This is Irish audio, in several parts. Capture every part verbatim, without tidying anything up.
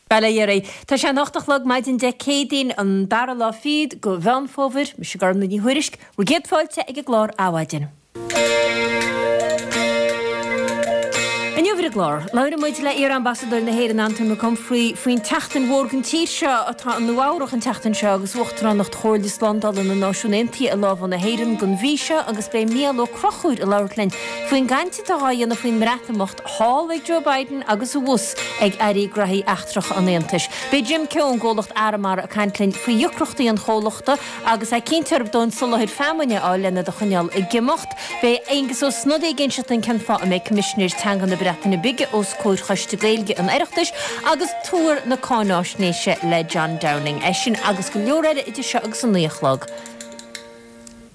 Bail ó Dhia oraibh. Tá sé an hocht a chlog maidin Dé Céadaoin an dara lá fichead de Mheán Fómhair, mise Gormlaith Ní Thuairisg, bhur gcéad fáilte ag an gclár Adhmhaidin. Inniu ar an gclár, labhróidh muid le iar-ambasadóir na hÉireann Anton McConfrey faoin tseachtain mhór don tír seo atá i Nua Eabhrac an tseachtain seo agus Uachtaránacht Chomhairle Slándála na Náisiún Aontaithe i lámha na hÉireann don mhí seo agus beidh Mícheál Ó Conchúir ag labhairt linn faoin gcaint atá á dhéanamh faoin mBreatimeacht thall ag Joe Biden agus abhus ag Airí Graithí Eachtracha an Aontais. Beidh Jim Keogh ón gcomhlacht Arramara ag caint linn faoi dheacrachtaí an chomhlachta agus é cinnte arb dóthain soláthar feamainne a fháil lena do choinneáil ag imeacht. Beidh Aengus Ó Snodaigh ag inseacht dúinn cén fáth a mbeidh Coimisinéir Teanga na Breataine Bige os comhair Choiste Gaeilge an Oireachtais agus tuar na cáináisnéise le John Downing. É sin agus go leor eile idir seo agus a naoi a chlog.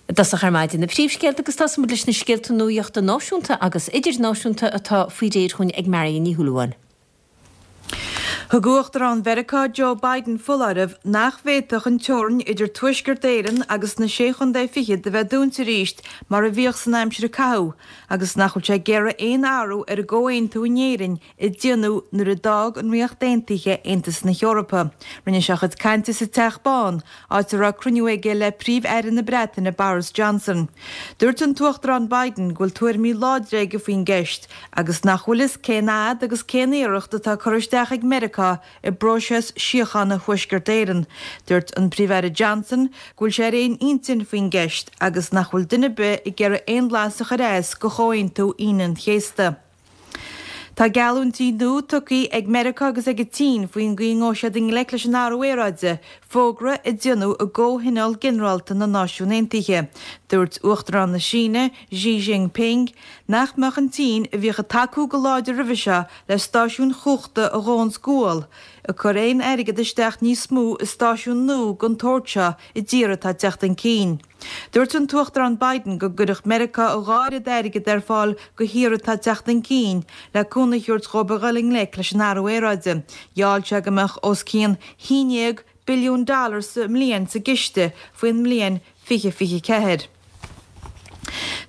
I dtosach ar maidin na príomhscéalta agus tosóimid leis na scéalta nuachta náisiúnta agus idirnáisiúnta atá faoi réir chugainn ag Marion Ní Shúilleabháin. Thug Uachtarán Mheiriceá Joe Biden foláireamh nach bhféadfadh an teorainn idir Tuaisceart Éireann agus na Sé Chontae Fichead a bheith dúnta arís mar a bhíodh san aimsir a caitheadh agus nach bhfuil sé ag iarraidh aon athrú ar an gcomhaontú in Éirinn a déanadh nuair a d'fhág an Ríocht Aontaithe Aontas na hEorpa. Rinne sé a chuid cainte sa Teach Bán, áit a raibh cruinniú aige le Príomh-Aire na Breataine Boris Johnson. Dúirt an tUachtarán Biden go bhfuil tuairimí láidre aige faoin gceist agus nach bhfuil fhios cén fhad agus cén iarracht atá curtha isteach ag Meiriceá i bpróiseas síochána Thuaisceart Éireann. Dúirt an Príomh-Aire Johnson go bhfuil sé ar aon intinn faoin gceist agus nach bhfuil duine ar bith ag iarraidh aon bhlas a chur as go Chomhaontú Aoine an Chéasta. Tá geallúintí nua tugtha ag Meiriceá agus ag an tSín faoin gcaoi a ngabhfaidh siad i ngleic leis an athrú aeráide, fógra a déanadh i gComhthionól Ginearálta na Náisiún Aontaithe. Dúirt Uachtarán na Síne, Xi Jinping, nach mbeadh an tSín, a bhíodh ag tacú go láidir roimhe seo le stáisiúin chumhachta a dhónns gual, ag cur aon airgead isteach níos mó i stáisiúin nua den tsórt seo i dtíortha atá ag teacht chun cinn. Dúirt an tUachtarán Biden go gcuirfeadh Meiriceá a dhá oiread airgid ar fáil do thíortha atá ag teacht chun cinn le cúnamh a thabhairt dhóibh a dhul i ngleic leis an athrú aeráide. Gheall sé go mbeadh os cionn haon déag billiún dollar sa mbliain sa gciste faoin mbliain fiche fiche ceathair.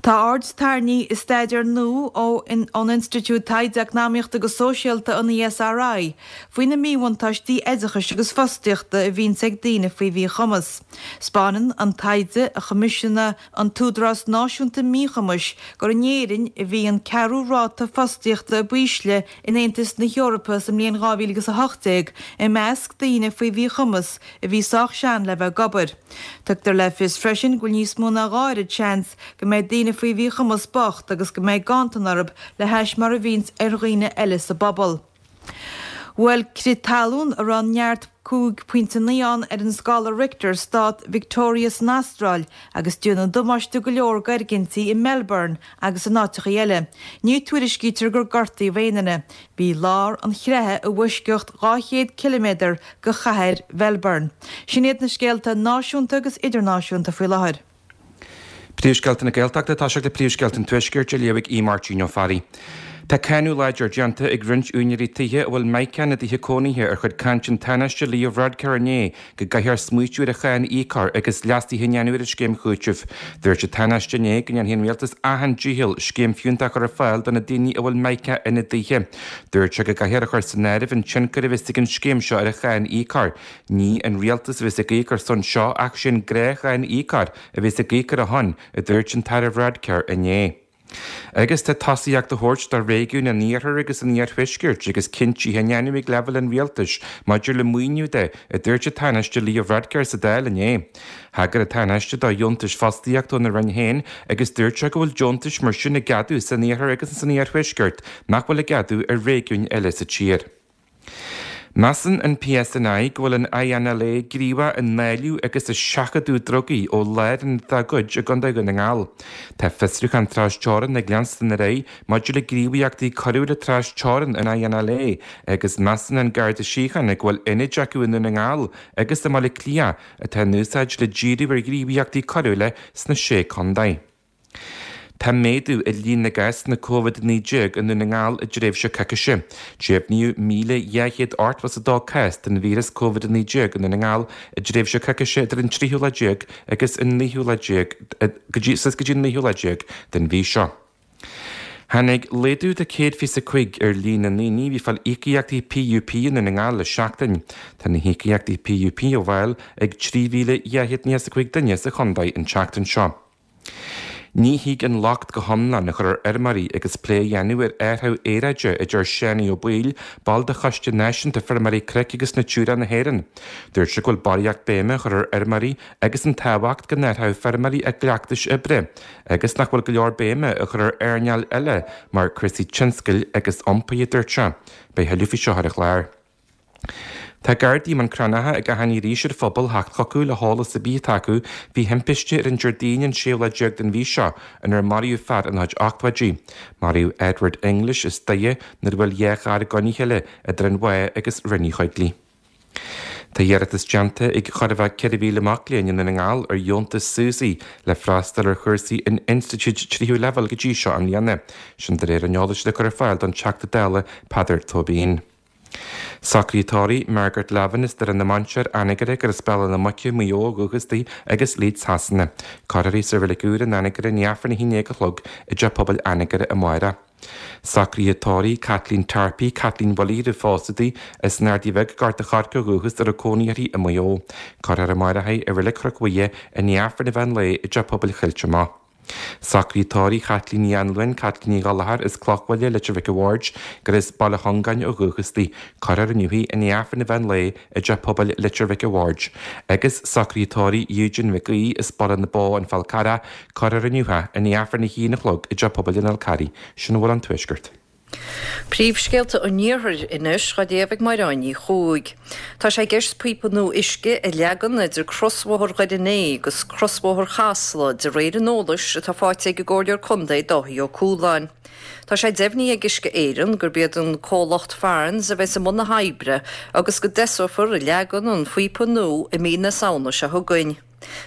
Tá aird tarraingthe i staidéar nua ón Institiúid Taighde Eacnamaíochta agus Sóisialta, an E S R I, faoi na míbhuntáistí oideachais agus fostaíochta a bhíonns ag daoine faoi mhíchumas. 'Spáineann an taighde a choimisiúnaigh an tÚdarás Náisiúnta Míchumais gur in Éirinn a bhí an ceathrú ráta fostaíochta ab ísle in Aontas na hEorpa sa mbliain dhá mhíle agus a hocht déag i measc daoine faoi mhíchumas a bhí sách sean le bheith ag obair. Tugtar le fios freisin go bhfuil níos mó ná dhá oiread seans go mbeidh daoine faoi mhíchumas bocht agus go mbeidh ganntan orthu le hais mar a bhíonns ar dhaoine eile sa bpobal. Bhuail crith talún a raibh neart cúig pointe naoi ann ar an scála Richter stát Victoria san Astráil agus déanadh damáiste go leor d'fhoirgintí i Melbourne agus in áiteachaí eile. Ní tuairiscítear gur gortaíodh aon duine. Bhí lár an chreatha i bhfoisceacht dhá chéad ciliméadar go chathair Mhelbourne. Sin iad na scéalta náisiúnta agus idirnáisiúnta faoi láthair. Príomhscéalta na Gaeltachta tá sé le príomhscéalta an Tuaiscirt á léamh ag Máirtín Ó Fearraigh. Tá cáineadh láidir déanta ag roinnt úinéirí tithe a bhfuil Mica ina dtithe cónaithe ar chuid cainte an Tánaiste Leo Varadkar inné go gcaithfear smaoitiú ar an cháin a íoc agus leasuithe a dhéanamh ar an scéim chúitimh. Dúirt an Tánaiste inné go ndéanfaidh an rialtas achan dícheall scéim fiúntach a chur ar fáil do na daoine a bhfuil Mica ina dtithe. Dúirt sé go gcaithfear a chur san áireamh an tionchar a bheas ag an scéim seo ar an cháin a íoc. Ní an rialtas a bheas ag íoc ar son seo ach sin gnáthcháin íocóir a bheas ag íoc ar a shon, a dúirt an tAire Varadkar inné. Agus tá tosaíocht á thabhairt do réigiún an iarthair agus an iarthuaiscirt agus cinntí á ndéanamh ag leibhéal an rialtais maidir le maoiniú de a dúirt an Tánaiste Leo Varadkar sa Dáil inné. Thagair an Tánaiste do dheontais fostaíochta óna roinn féin agus dúirt sé go bhfuil deontais mar sin á gceadú san iarthar agus san iarthuaisceart nach bhfuil á gceadú ar réigiúin eile sa tír. Measann an P S N I go bhfuil an I N L A gníomhach i ndáileadh agus i seachadadh drugaí ó lárionad dá gcuid i gContae Dhún na nGall. Tá fiosrúchán trasteorann ag leanstan ar aghaidh maidir le gníomhaíochtaí coiriúla trasteorann an I N L A agus measann an Garda Síochána go bhfuil ionaid acu i nDún na nGall agus i mBaile Átha Cliath atá in úsáid le díriú ar ghníomhaíochtaí coiriúla sna sé contae. Tá méadú i líon na gcásanna Covid naoi déag i nDún na nGall i dtréimhse coicíse. Deimhníodh míle dhá chéad ochtó is a dó cás den víreas Covid naoi déag i nDún na nGall i dtréimhse coicíse idir an tríú lá déag agus an naoú lá déag go dtí go dtí an naoú lá déag den mhí seo. Tháinig laghdú de céad fiche a cúig ar líon na ndaoine a bhí ag fáil íocaíochtaí PUP i nDún na nGall le seachtain. Tá na híocaíochtaí PUP á bhfáil ag trí mhíle dhá chéad nócha is a cúig duine sa chontae an tseachtain seo. Ní thig an locht go hiomlán a chur ar fheirmeoirí agus plé a dhéanamh ar athrú aeráide, a deir Seánie Ó Baoill, ball de Choiste Náisiúnta Feirmeoirí Cnoic agus Natura na hÉireann. Dúirt sé go bhfuil barraíocht béime á chur ar fheirmeoirí agus an tábhacht go n-athródh feirmeoirí a gcleachtais oibre, agus nach bhfuil go leor béime á chur ar earnáil eile mar cúrsaí tionscail agus iompair, a dúirt sé. Beidh thuilleadh faoi seo ar an chlár. Tá Gardaí i mBun Cranncha ag achainí arís ar an phobal theacht chucu le heolas ar bith atá acu faoi thimpiste ar an Déardaoin an séú lá déag den mhí seo inar maraíodh fear ina chuid ochtóidí. Maraíodh Edward English as Doire nuair a bhuail dhá charr i gcoinne a chéile idir an Mhaigh agus Rinn Uí Choigligh. Tá iarratas déanta ag chóir a bheith ceithre mhíle mac léinn i nDún na nGall ar dheontas SUSI le freastal ar chúrsaí in institiúid tríú leibhéal go dtí seo i mbliana. Sin de réir an eolais le cur ar fáil don Teachta Dála Peadar Tóibín. Socruithe tórraimh Margaret Lavin as Doire na Mainséar, Anagaire, gur as Béal Átha na Muice, Maigh Eo ó dhúchas di agus Leeds Shasana. Cuirfear í sa reilig úr in Anagaire i ndiaidh Aifreann a haon déag a chlog i dTeach Pobail Anagaire amárach. Socruithe tórraimh Kathleen Tarpey, Kathleen Willie roimh phósadh di, as an Ardaidh Bheag, Gort a' Choirce ó dhúchas a raibh cónaí uirthi i Maigh Eo. Cuirfear amárach í i Reilig Chnoc Mhuire i ndiaidh Aifreann an mheán lae i dTeach Pobail Choillte Mach. Socruithe tórraimh Chaitlín Ní Anluain, Caitlín Ní Ghallchóir as Clochbhaile, Leitir Mhic a' Bhaird, gur as Baile Chongáin ó dhúchas di. Cuirfear inniu í i ndiaidh Aifreann an mheán lae i dTeach Pobail Leitir Mhic a' Bhaird. Agus socruithe tórraimh Eugene Mhic Aoidh as Baile na Bó, An Fál Carrach, cuirfear inniu é i ndiaidh Aifreann a haon a chlog i dTeach Pobail an Fháil Carraigh. Sin a bhfuil ón Tuaisceart. Príomhscéalta an Iarthair anois á léamh ag Mairéad Ní Chuaig. Tá sé i gceist píopa nua uisce a leagan idir crosbhóthar Dhoire an Fhéich agus crosbhóthar Chasla de réir an eolais atá faighte ag an gComhairleoir Contae Dáithí Ó Cualáin. Tá sé deimhnithe ag Uisce Éireann gurb iad an comhlacht Farrans a bheas i mbun na hoibre agus go dtosófar ag leagan an phíopa nua i mí na Samhna seo chugainn.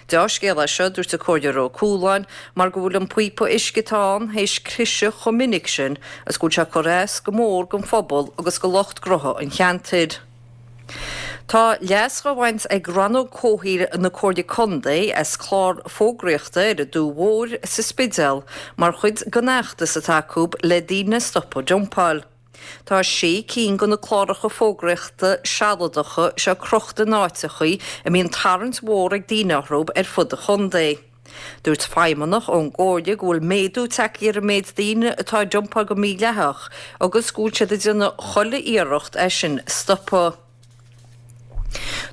Dea-scéal é seo, dúirt an Comhairleoir Ó Cualáin, mar go bhfuil an píopa uisce atá ann théis cliseadh chomh minic sin agus go bhfuil sé ag cur as go mór don phobal agus do lucht gnótha an cheantair. Tá leas á bhaint ag Rannóg Comhshaoil na Comhairle Contae as clár fógraíochta ar an Dumha Mhór sa Spidéal mar chuid den fheachtas atá acu le daoine a stopadh dumpáil. Tá sé cinn de na cláracha fógraíochta sealadacha seo crochta in áiteachaí a mbíonn tarraingt mhór ag daoine orthu ar fud an chontae. Dúirt feidhmeannach ón gComhairle go bhfuil méadú tagtha ar an méid daoine atá ag dumpáil go mídhleathach agus go bhfuil siad ag déanamh chuile iarracht é sin a stopadh.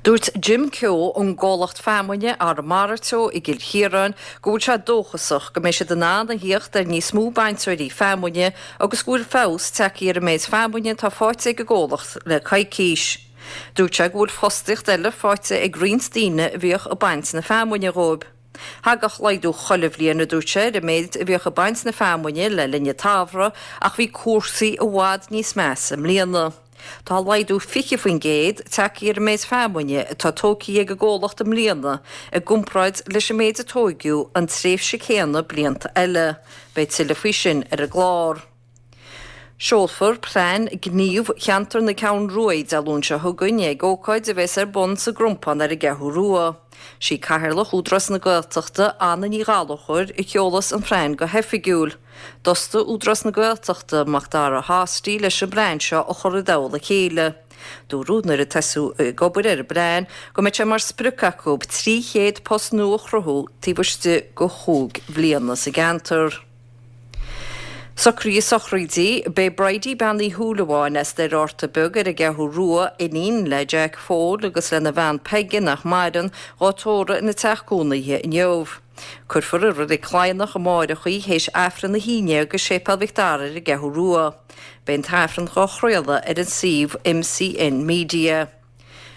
Dúirt Jim Keogh ón gcomhlacht feamainne Arramara Teo i gCill Chiaráin go bhfuil sé dóchasach go mbeidh siad in ann a thíocht ar níos mó bainteoirí feamainne agus go bhfuil feabhas tagtha ar an méid feamainne atá faighte ag an gcomhlacht le coicís. Dúirt sé go bhfuil fostaíocht eile faighte ag roinnt daoine a bhíodh ag baint na feamainne dhóibh. Thagadh laghdú chuile bhliain, a dúirt sé, ar an méid a bhíodh ag baint na feamainne le linn an tsamhraidh ach bhí cúrsaí i bhfad níos measa i mbliana. Tá laghdú fiche faoin gcéad tagtha ar an méid feamainne atá tógtha ag an gcomhlacht i mbliana i gcomparáid leis an méid a tóigeadh an tréimhse céanna blianta eile. Beidh tuilleadh faoi sin ar an gclár. Seolfar Plean Gnímh Cheantar na Ceathrún Rua Dé Luain seo chugainn ag ócáid a bheas ar bun sa gCrompán ar an gCeathrú Rua. Sí Cathaoirleach Údarás na Gaeltachta, Anna Ní Ghallchóir, a sheolas an phlean go hoifigiúil. D'fhostaigh Údarás na Gaeltachta Macdara Hosty leis an bplean seo a chur i dtoll a chéile. Dúradh nuair a tosaíodh ag obair ar an bplean go mbeidh sé mar sprioc acu trí chéad post nua a chruthú taobh istigh de chúig bhliana sa gceantar. Socruithe sochraide, Beidh Bridie Bean Uí Shúilleabháin as Doire Fhátharta Beag ar an gCeathrú Rua, iníon le Jack Phóil agus lena bhean Peige nach maireann, dhá tórramh ina teach cónaithe inniu. Cuirfear i Reilig Cladhnach amáireach í théis Aifreann a haon déag i Séipéal Mhic Dara ar an gCeathrú Rua. Beidh an t-aifreann dhá chraoladh ar an suíomh MCN Media.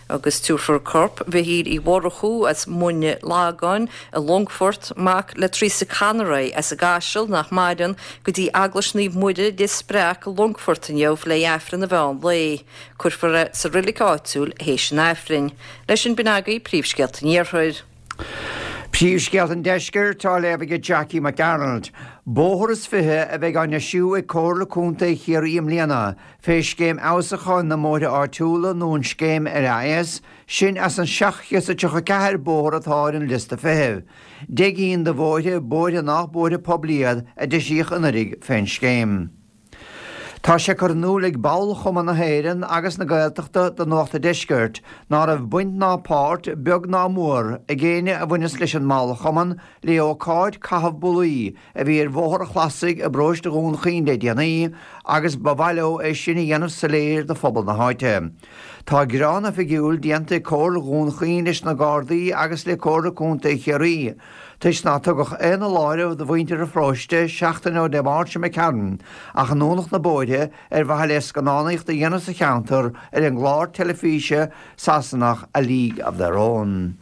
Agus tabharfar corp Mhichíl Uí Mhurchú as Muine Lagáin i Longfort, mac le Teresa Conroy as an gCaiseal nach maireann, go dtí Eaglais Naomh Muire Lios Breac i Longfort inniu le Aifreann an mheán lae. Cuirfear é sa reilig áitiúil théis an Aifrinn. Leis sin b'in agaibh príomhscéalta an Iarthair. Príomhscéalta an Deiscirt á léamh ag Jackie McDonald. Bóthar is fiche a bheidh á ndeisiú ag Comhairle Contae Chiarraí i mbliana, fé Scéim Fheabhsúcháin na mBóithre Áitiúla nó an Scéim LAS, sin as an seacht chéad is tríocha ceathair bóthar atá ar an liosta feithimh. Deich gcinn de bhóithre, bóithre nach bóithre poiblí iad, a deisíodh anuraidh fén scéim. Tá sé curtha in iúl ag ball Chumann na hÉireann agus na Gaeltachta do Nuacht a' Deiscirt ná raibh baint ná páirt, beag ná mór, ag éinne a bhaineas leis an mballchumann le ócáid caitheamh bullaí a bhí ar Bhóthar a' Chlasaigh i bparóiste Dhún Chaoin le déanaí agus ba mhaith leo é sin a dhéanamh soiléir do phobal na háite. Tá gearán oifigiúil déanta ag Comhairle Dhún Chaoin leis na Gardaí agus le Comhairle Contae Chiarraí toisc nár tugadh aon fholáireamh do mhuintir an pharóiste seachtain ó Dé Máirt seo imigh tharainn ach a ndúnadh na bóithre ar mhaithe le scannánaíocht a dhéanamh sa cheantar ar an gclár teilifíse Sasanach A League of Their Own.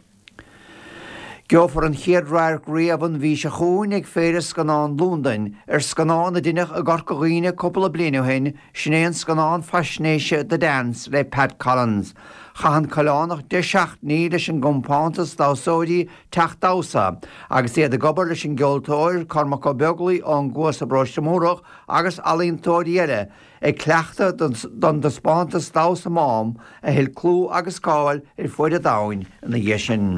Gheofar an chéad radharc riamh an mhí seo chugainn ag Féile Scannán Londain ar scannán a deineadh i gCorca Dhuibhne cúpla bliain ó shin, sin é an scannán faisnéise The Dance le Pat Collins. Chaith an Coileánach deich seachtainí leis an gcompántas damhsóirí Teach Damhsa agus iad ag obair leis an gceoltóir Cormac Ó Beaglaoich ón gCuas i bparóiste Múrach agus ealaíontóirí eile ag cleachtadh don dtaispeántas damhsa Mám a thuill clú agus cáil ar fuaid an domhain ina dhiaidh sin.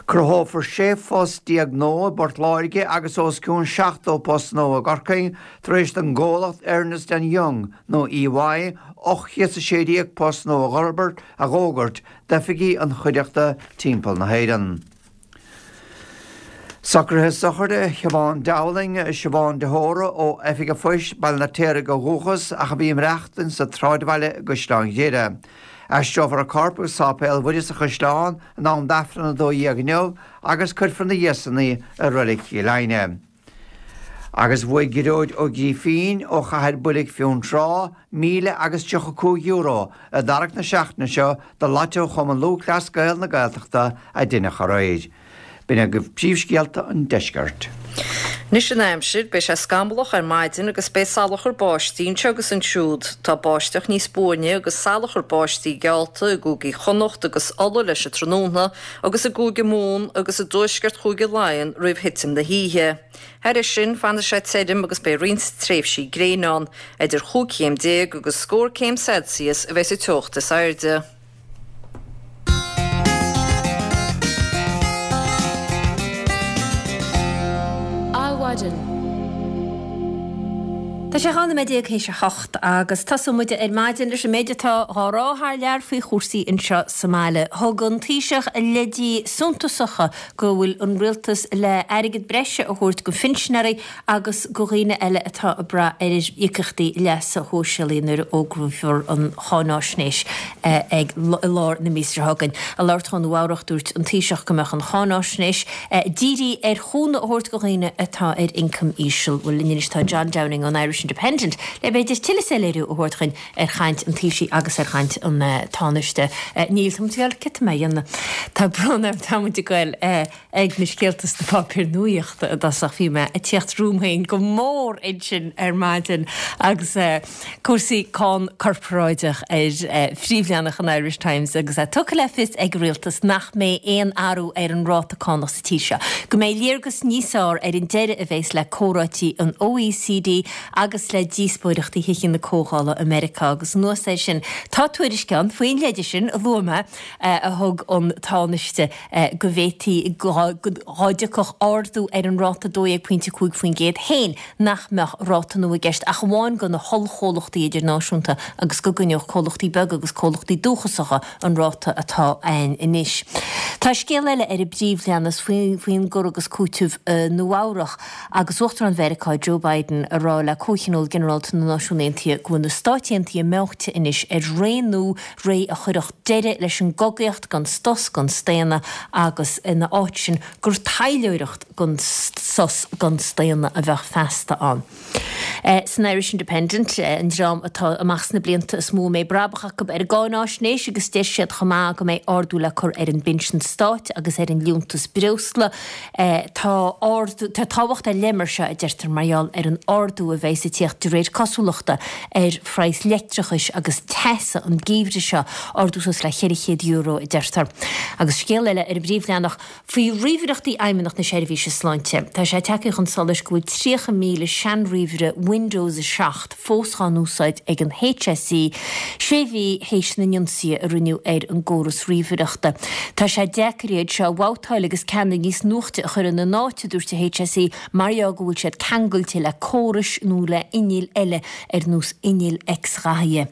Cruthófar sé phost déag nua i bPort Láirge agus os cionn seachtó post nua i gCorcaigh tar éis don gcomhlacht Ernest and Young, nó EY, ocht chéad is a sé déag post nua a dh'fhógairt d'oifigí an chuideachta timpeall na hÉireann. Socruithe sochraide Shiobhán Dowling, Siobhán de hÓra ó Oifig an Phoist, Baile an Fheirtéaraigh ó dhúchas ach a bhí ag maireachtaint sa tsráidbhaile i gCaisleán Ghriaire. Aistreofar a corp go Sáipéal Mhuire sa Chaisleán in am d'Aifreann a dó dhéag inniu agus cuirfear ina dhiaidh san í i Reilig Chill Aidhne. Agus bhuaigh Gearóid Ó Grífín ó Chathair Builg Fionntrá míle agus tríocha cúig euro i dtarrac na seachtaine seo do Lotto Chumann Lúthchleas Gael na Gaeltachta a deineadh aréir. B'in agaibh príomhscéalta an deiscirt. Anois an aimsir, beidh sé scamallach ar maidin agus beidh salachar báistí anseo agus ansiúd. Tá báisteach níos buaine agus salachar báistí geallta i gcúigí Chonnacht agus Uladh leis an tráthnóna agus i gCúige Mumhan agus i dtuaisceart Chúige Laighean roimh thitim na hoíche. Thairis sin, fanfaidh sé tirim agus beidh roinnt tréimhsí gréine ann. Idir chúig chéim déag agus scór céim Celsius a bheidh sa teocht is airde. Adhmhaidin. Tá sé dhá nóiméad déag théis a hocht agus tosóidh muid ar maidin leis an méid atá dhá rá thar lear faoi chúrsaí anseo sa mbaile. Thug an Taoiseach leidí suntasacha go bhfuil an rialtas le airgead breise a thabhairt go phinsinéirí agus go dhaoine eile atá ag brath ar íocaíochtaí leasa shóisialaigh nuair a fhógrófar an cháináisnéis ag i lár na míosa seo chugainn. Ag labhairt dó i Nua Eabhrac dúirt an Taoiseach go mbeadh an cháináisnéis dírithe ar chúnamh a thabhairt go dhaoine atá ar ioncam íseal. Bhuel linn anois tá John Downing ón Irish Independent le b'fhéidir tuilleadh soiléiriú a thabhairt dhuinn ar chaint an Taoisigh agus ar chaint an Tánaiste. Níl, tá muid ag goil, cad tá mé a dhéanamh? Tá brón orm, tá muid ag goil ag na scéalta sna páipéir nuaíochta i dtosach. Bhí mé ag tíocht romham féin go mór ansin ar maidin agus cúrsaí cáin corparáideach ar phríomhleathanach an Irish Times agus é tugtha le fios ag an rialtas nach mbeidh aon athrú ar an ráta cánach sa tír seo, go mbeidh léargas níos fearr ar an deireadh a bheas le comhráití an OECD agus le díospóireachtaí Thithe na Comhdhála i Meiriceá agus anuas air sin tá tuairisc ann faoin leide sin a luaigh mé a thug an Tánaiste go bhféadfaí dá dtiocfadh ardú ar an ráta dó dhéag pointe cúig faoin gcéad féin nach mbeadh ráta nua i gceist ach amháin do na hollchomhlachtaí idirnáisiúnta agus go gcoinneodh comhlachtaí beaga agus comhlachtaí dúchasacha an ráta atá ann anois. Tá scéal eile ar an bpríomhleathanach faoin gcur agus cúiteamh i Nua Eabhrach agus Uachtarán Mheiriceá Joe Biden ag rá le Comhthionól Ginearálta na Náisiún Aontaithe go bhfuil na Stáit Aontaithe meáite anois ar ré nua, ré a chuirfeadh deireadh leis an gcogaíocht gan sos gan staonadh agus ina áit sin gur taidhleoireacht gan sos gan staonadh a bheadh feasta ann. San Irish Independent, an dream atá amach sna blianta is mó a mbeidh brabach acu ar an gcáináisnéis agus deir siad chomh maith go mbeidh ardú le cur ar an bpinsean stáit agus ar an liúntas breosla. Tá ardú, tá tábhacht ar leith mar seo, a deirtear, mar gheall ar an ardú a bheas bheas ag tíocht de réir cosúlachta ar phraghas leictreachais agus teasa an geimhreadh seo, ardú suas le ceithre chéad euro a deirtear. Agus scéal eile ar an bpríomhleathanach faoi ríomhaireachtaí Fheidhmeannacht na Seirbhíse Sláinte. Tá sé tagtha chun solais go bhfuil tríocha míle seanríomhaire Windows a seacht fós á n-úsáid ag an HSE sé mhí théis na n-ionsaithe a rinneadh ar an gcóras ríomhaireachta. Tá sé deacair iad seo a bhabhtáil agus ceanna níos nuachta a chur ina n-áit, a dúirt an HSE, mar gheall go bhfuil siad ceangailte le córais nó le innill eile ar nós innill X-ghathaithe.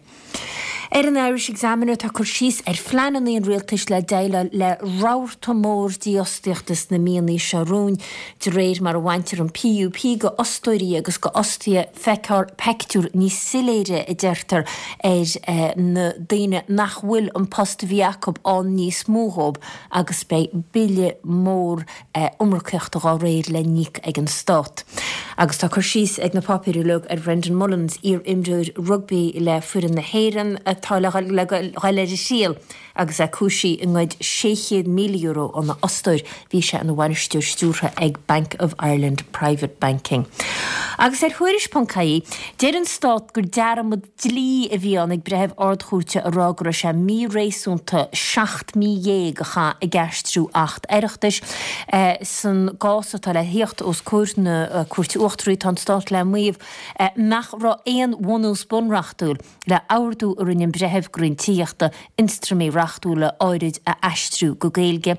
Ar an Irish Examiner tá cur síos ar phleananna an rialtais le déileáil le rabharta mór dífhostaíochta sna míonna seo romhainn. De réir mar a bhaintear an PUP de fhostóirí agus de fhostaithe feicfear pictiúr níos soiléire, a deirtear, ar na daoine nach bhfuil an post a bhí acu ann níos mó dhóibh agus beidh bille mór iomarcaíochta dá réir le n-íoc ag an Stát. Agus tá cur síos ag na páipéir uilig ar Brendan Mullins, iar-imreoir rugbaí le foireann na hÉireann atá le dhul ar a thriail agus é cúisithe i ngoid sé chéad míle euro óna fhostóir. Bhí sé ina bhainisteoir stiúrtha ag Bank of Ireland Private Banking. Agus ar Thuairisc ponc ie, deir an Stát gur dearmad dlí a bhí ann ag breitheamh Ard-Chúirte a rá go raibh sé míréasúnta seacht mí dhéag a chaitheamh ag aistriú Acht Oireachtais. San gcás atá le thíocht os comhair na Cúirte Uachtaraí, tá an Stát le maíomh nach raibh aon bhunús bunreachtúil le ordú a rinne an breitheamh go Roinn Tithíochta ionstraimí reachtúla áirid a aistriú go Gaeilge.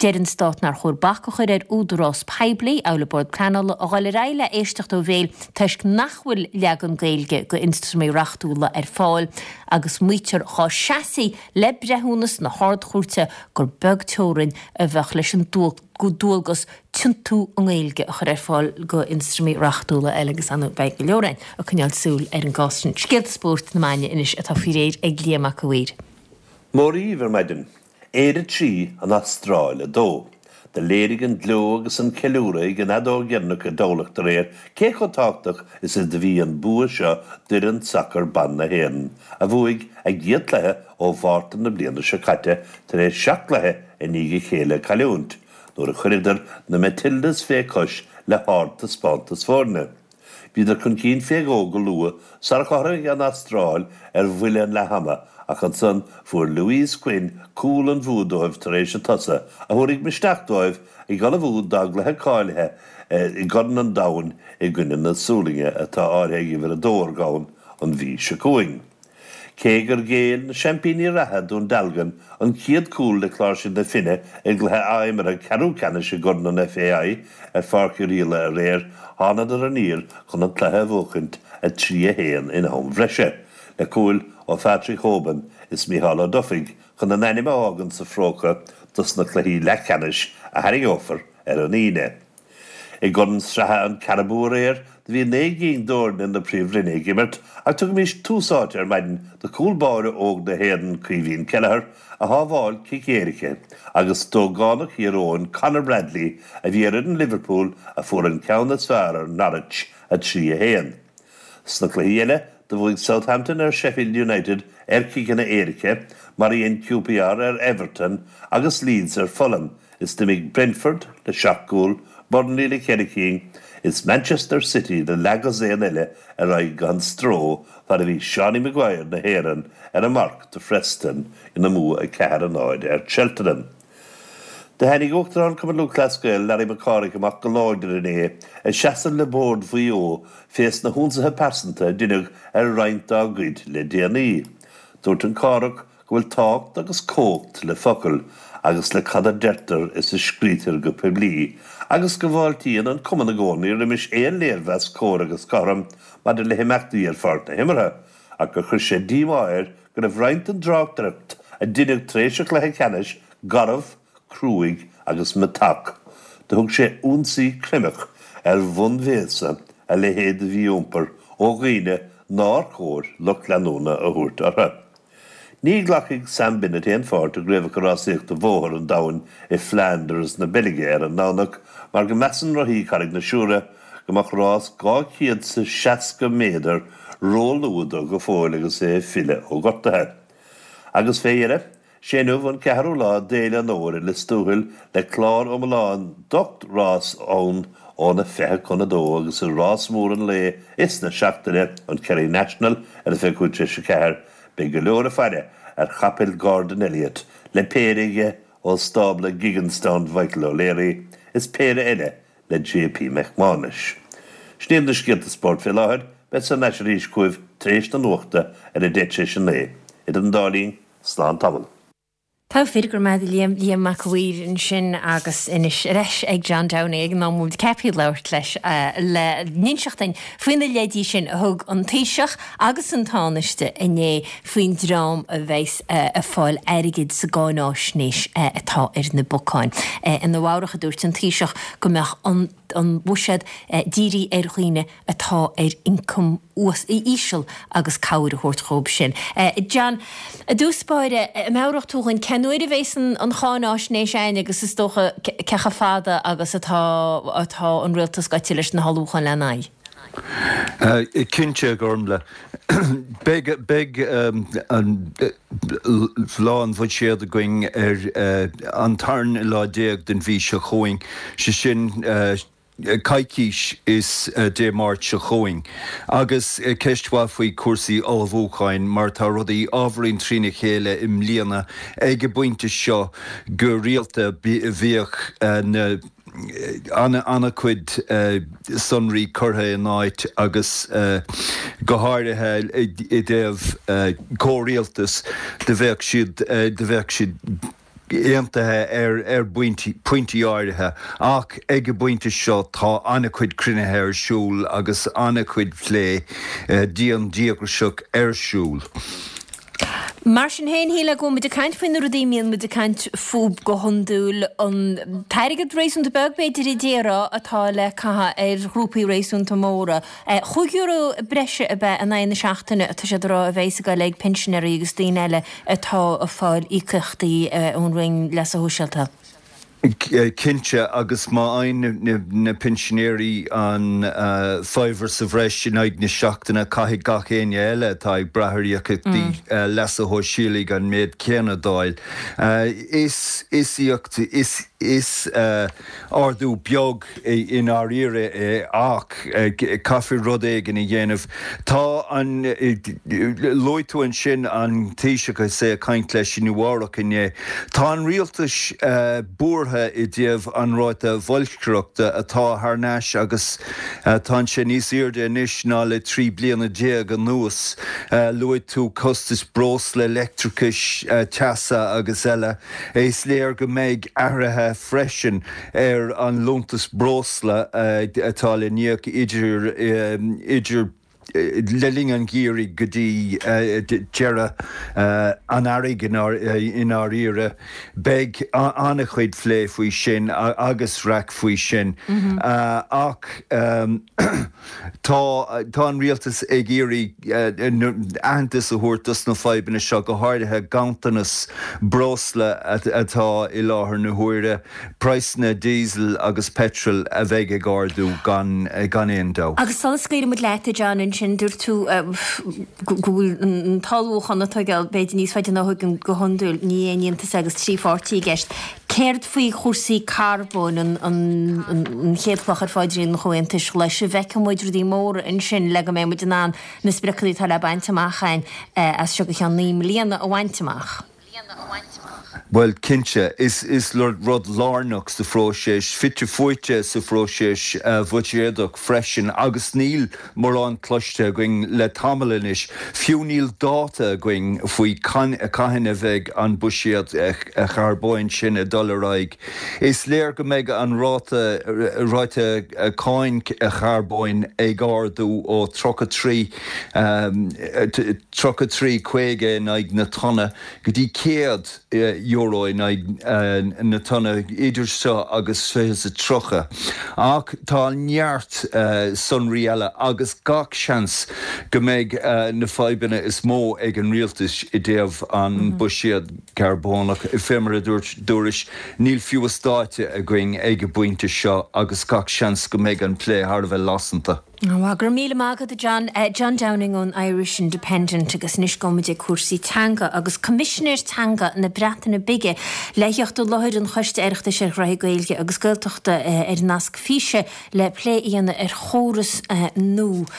Deir an Stát nár chóir bac a chur ar údarás poiblí, amhail an Bord Pleanála, a dhul ar aghaidh le éisteacht ó bhéal toisc nach bhfuil leagan Gaeilge d'ionstraimí reachtúla ar fáil agus maítear chomh seasfaí le breithiúnas na hArd-Chúirte gur beag teorainn a bheadh leis an dualgas tiontú i nGaeilge a chur ar fáil d'ionstraimí reachtúla eile agus ar ndóigh beidh go leor againn ag coinneáil súil ar an gcás sin. Scéalta spóirt na maidine anois atá faoi réir ag Liam Mac a' Mhaoir. Móra dhíbh ar maidin. Éire trí, An Astráil a dó. Do léirigh an gleo agus an ceiliúradh ag an fheadóg dheireanach i dTamhlacht aréir cé chomh tábhachtach is a do bhí an bua seo d'fhoireann sacair ban na hÉireann, a bhuaigh a gcéad chluiche ó Mhárta na bliana seo caite tar éis seacht gcluiche i ndiaidh a chéile a cailliúint, nuair a chuireadar na Matildas fé chois le hardtaispeántas foirne. Bhíodar chun cinn fé dhó go luath sar chothromaigh an Astráil ar bhuille an leath-ama ach ansan fuair Louise Quinn cúl an bhua dóibh tar éis an tsosa, a thabharfaidh misneach dóibh ag ullmhú dá gcluiche cáilithe i gCorn an Domhain i gcoinne na Sualainne atá áirithe ag uimhir a dó ar dhomhan an mhí seo chugainn. Cé gur ghéill na seaimpíní reatha, Dún Dealgan, an chéad chúl le Cláirsigh na Finne i gcluiche athimeartha ceathrú ceannais i gCorn an FAI ar Pháirc Uí Riola aréir, thánadar aniar chun an cluiche a bhuachaint a trí a haon in am bhreise, le cúil ó Phatrick Hoban is Mícheál Ó Dufaigh chun a n-ainm a fhágaint sa phróca dos na cluichí leathcheannais a tharraingeofar ar an Aoine. I gCorn Sraithe an Carabao aréir, do bhí naoi gcinn d'fhoirne na Príomhroinne ag imirt ach tugaimís tús áite ar maidin do chúl báire óg na hÉireann, Caoimhín Kelleher, a shábháil cic éirice, agus d'ógánach Thír Eoghain, Conor Bradley, a bhí ar fhoireann Liverpool a fuair an ceann is fearr ar Norwich, a trí a haon. Sna cluichí eile, do bhuaigh Southampton ar Sheffield United ar chiceanna éirice, mar a dhein QPR ar Everton agus Leeds ar Fulham, is d'imigh Brentford le seacht gcúl, Burnley le ceithre cinn, is Manchester City le leathdhosaen eile ar aghaidh gan stró fad a bhí Seánie Maguire na hÉireann ar an marc do Phreston ina mbua a ceathair a náid ar Cheltenham. Do tháinig Uachtarán Chumann Lúthchleas Gael, Larry Mac Cárthaigh amach go láidir inné ag seasamh le Bord Mhaigh Eo fés na hionsaithe pearsanta a deineadh ar roinnt dá gcuid le déanaí. Dúirt an Cárthach go bhfuil tábhacht agus cumhacht le focail agus le cad a deirtear is a scrítear go poiblí, agus go bhfáiltíonn an Cumann i gcónaí roimis aon léirmheas cóir agus cothrom maidir le himeachtaí ar pháirc na himeartha, ach gur chuir sé díomá air go raibh roinnt den dtráchtaireacht a deineadh tar éis an chluiche ceannais garbh, cruaidh agus meatach. Do thug sé ionsaí creimeach ar bhun bhéasa a leithéid de mhí-iompar ó dhaoine nár chóir lucht leanúna a thabhairt orthu. Ní ghlacfaidh Sam Bennett aon pháirt i gCraobhacha Rásaíochta Bhóthair an Domhain i Flanders na Beilge ar an nDomhnach mar go measann rothaí Charraig na Siúire go mbeadh rás dhá chéad 's seasca méadar ró-luath dó go fóill agus é ag filleadh ó ghortuithe. Agus fé dheireadh, Sé inniu an ceathrú lá d'Fhéile an Fhómhair i Lios Tuathail le clár iomlán d'ocht rás ann óna fiche chun a dó agus i rás mór an lae is na seachtaine, an Kerry National ar a fiche cúig tar éis a ceathair, beidh go leor ag faire ar chapaill Gordon Elliott le péire aige ó stábla Gigginstown Mhichael O'Leary is péire eile le JP McManus. Sin iad na scéalta spóirt fé láthair, beidh thar n-ais arís chugaibh tar éis na nuachta ar a deich tar éis a naoi. Idir an dá linn, slán tamall. Tá fíor go raibh maith agat Liam, Liam Mac a' Mhaoir ansin agus anois ar ais ag John Downey ag an am muid ceaptha labhairt leis le n-inseacht dúinn faoi na leidí sin a thug an Taoiseach agus an Tánaiste inné faoin dream a bheas ag fáil airgid sa gcáináisnéis atá ar na bacáin. I Nua Eabhrac a dúirt an Taoiseach go mbeadh an an buiséad dírithe ar dhaoine atá ar ioncam íseal agus cabhair a thabhairt dhóibh sin. John, i dtús báire, an meabhródh tú dhúinn cén uair a bheas an cháináisnéis ann agus is dócha cé chomh fada agus atá atá an rialtas gaite leis na hullmhúcháin lena aghaidh? Cinnte, a Ghormfhlaith. Beidh beidh an lá an bhuiséid againn ar an tarna lá déag den mhí seo chugainn, sé sin coicís is Dé Máirt seo chugainn. Agus ceist mhaith faoi chúrsaí ullmhúcháin mar tá rudaí ábhairín trína chéile i mbliana ag an bpointe seo go rialta bhíodh na an-chuid sonraí curtha in áit agus go háirithe i dtaobh comhrialtas do bheadh siad do bheadh siad aontaithe ar ar phointí áirithe ach ag an bpointe seo tá an-chuid cruinnithe ar siúl agus an-chuid plé dian díograiseach ar siúl. Mar sin féin, shílfeá go bhfuil muid ag caint faoi na rudaí a mbíonn muid ag caint fúthu go hiondúil, an t-airgead réasúnta beag, b'fhéidir, a déarfá, atá le caitheamh ar ghrúpaí réasúnta móra. Chúig euro breise ab ea in aghaidh na seachtaine atá siad a rá a bheas ag dul ag pinsinéirí agus daoine eile atá ag fáil íocaíochtaí ón Roinn Leasa Shóisialta. Cinnte, agus má fhaigheann na pinsinéirí an faobhar sa bhreis in aghaidh na seachtaine, caithfidh gach éinne eile atá ag brath ar íocaíochtaí leasa shóisialaigh an méid céanna d'fháil. Is is is ardú beag i ndáiríre é ach caithfear rud éigin a dhéanamh. Tá an, luaigh tú ansin an Taoiseach is é ag caint leis i Nua Eabhrac inné. Tá an rialtas buartha i dtaobh an ráta boilscreachta atá thar n-ais agus tá sé níos airde anois ná le trí bliana déag anuas. Luaigh tú costas breosla, leictreachais, teasa agus eile. Is léir go mbeidh athruithe freisin ar an liúntas breosla atá le n-íoc idir idir le linn an gheimhridh go dtí deireadh an earraigh i ndáiríre. Beidh an-chuid plé faoi sin agus raic faoi sin ach tá tá an rialtas ag iarraidh aitheantas a thabhairt dos na fadhbanna seo, go háirithe ganntanas breosla atá i láthair na huaire, praghsanna diesel agus peitril a bheidh ag ardú gan gan aon dabht. Agus sula scaoilfidh muid leat, a John, ansin dúirt tú go bhfuil an t-ullmhúchán ag tógáil b'fhéidir níos faide ná a thuigim go hiondúil, ní haon iontas é agus trí pháirtí i gceist. Céard faoi chúrsaí carbóin, an chéad chloch ar phaidrín an Chomhaontais Ghlais? An bhfeicfidh muid rudaí móra ansin le go mbeidh muid in ann na spriocanna atá le baint amach againn as seo go ceann naoi mbliana a bhaint amach? Bhuel, cinnte, is is rud lárnach sa phróiseas, fite fuaite sa phróiseas bhuiséadach freisin agus níl mórán cloiste againn le tamall anois, fiú níl dáta againn faoi cathain a bheidh an buiséad charbóin sin ag dul ar aghaidh. Is léir go mbeidh an ráta ráta cáin charbóin ag ardú ó tríocha trí tríocha trí caoga in aghaidh na tonna go dtí céad euro in aghaidh na tonna idir seo agus fiche is a tríocha. Ach tá neart sonraí eile agus gach seans go mbeidh na fadhbanna is mó ag an rialtas i dtaobh an buiséad carbónach. Fé mar a dúirt dúrais, níl fiú is dáta againn ag an bpointe seo agus gach seans go mbeidh an plé thar a bheith lasanta. Go raibh míle maith agat a John. John Downing ón Irish Independent agus anois gabhfaimid ag cúrsaí teanga agus Coimisinéir Teanga na Breataine Bige le theacht i láthair an Choiste Oireachtais ar Ghnoithí Gaeilge agus Gaeltachta ar nasc físe le plé a dhéanamh ar chóras nua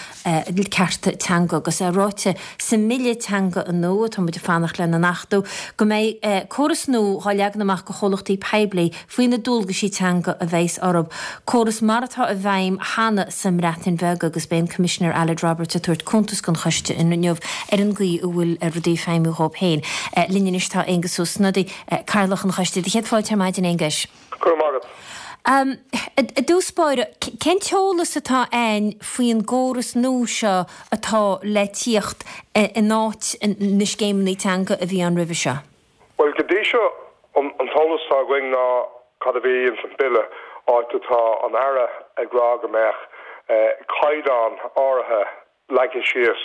cearta teanga agus é ráite sa mBille Teanga nua atá muid ag fanacht lena n-achtú go mbeidh córas nua dhá leagan amach go chomhlachtaí poiblí faoi na dualgaisí teanga a bheas orthu, córas mar atá i bhfeidhm cheana sa mBreatain Bheag agus beidh an Coimisinéir Aled Roberts ag tabhairt cuntas don choiste inniu ar an gcaoi a bhfuil rudaí ag feidhmiú dhóibh féin. Linn anois tá Aengus Ó Snodaigh, Cathaoirleach an Choiste. Céad fáilte ar maidin, Aonghuis. Go raibh maith agat. I dtús báire, cén t-eolas atá a'ainn faoin gcóras nua seo atá le tíocht in áit na scéimeanna teanga a bhí ann roimhe seo? Bhuel, go dtí seo, an t-eolas atá againn ná cad a bhí ins an Bille, áit atá an Aire ag rá go mbeadh caighdeán áirithe leagtha síos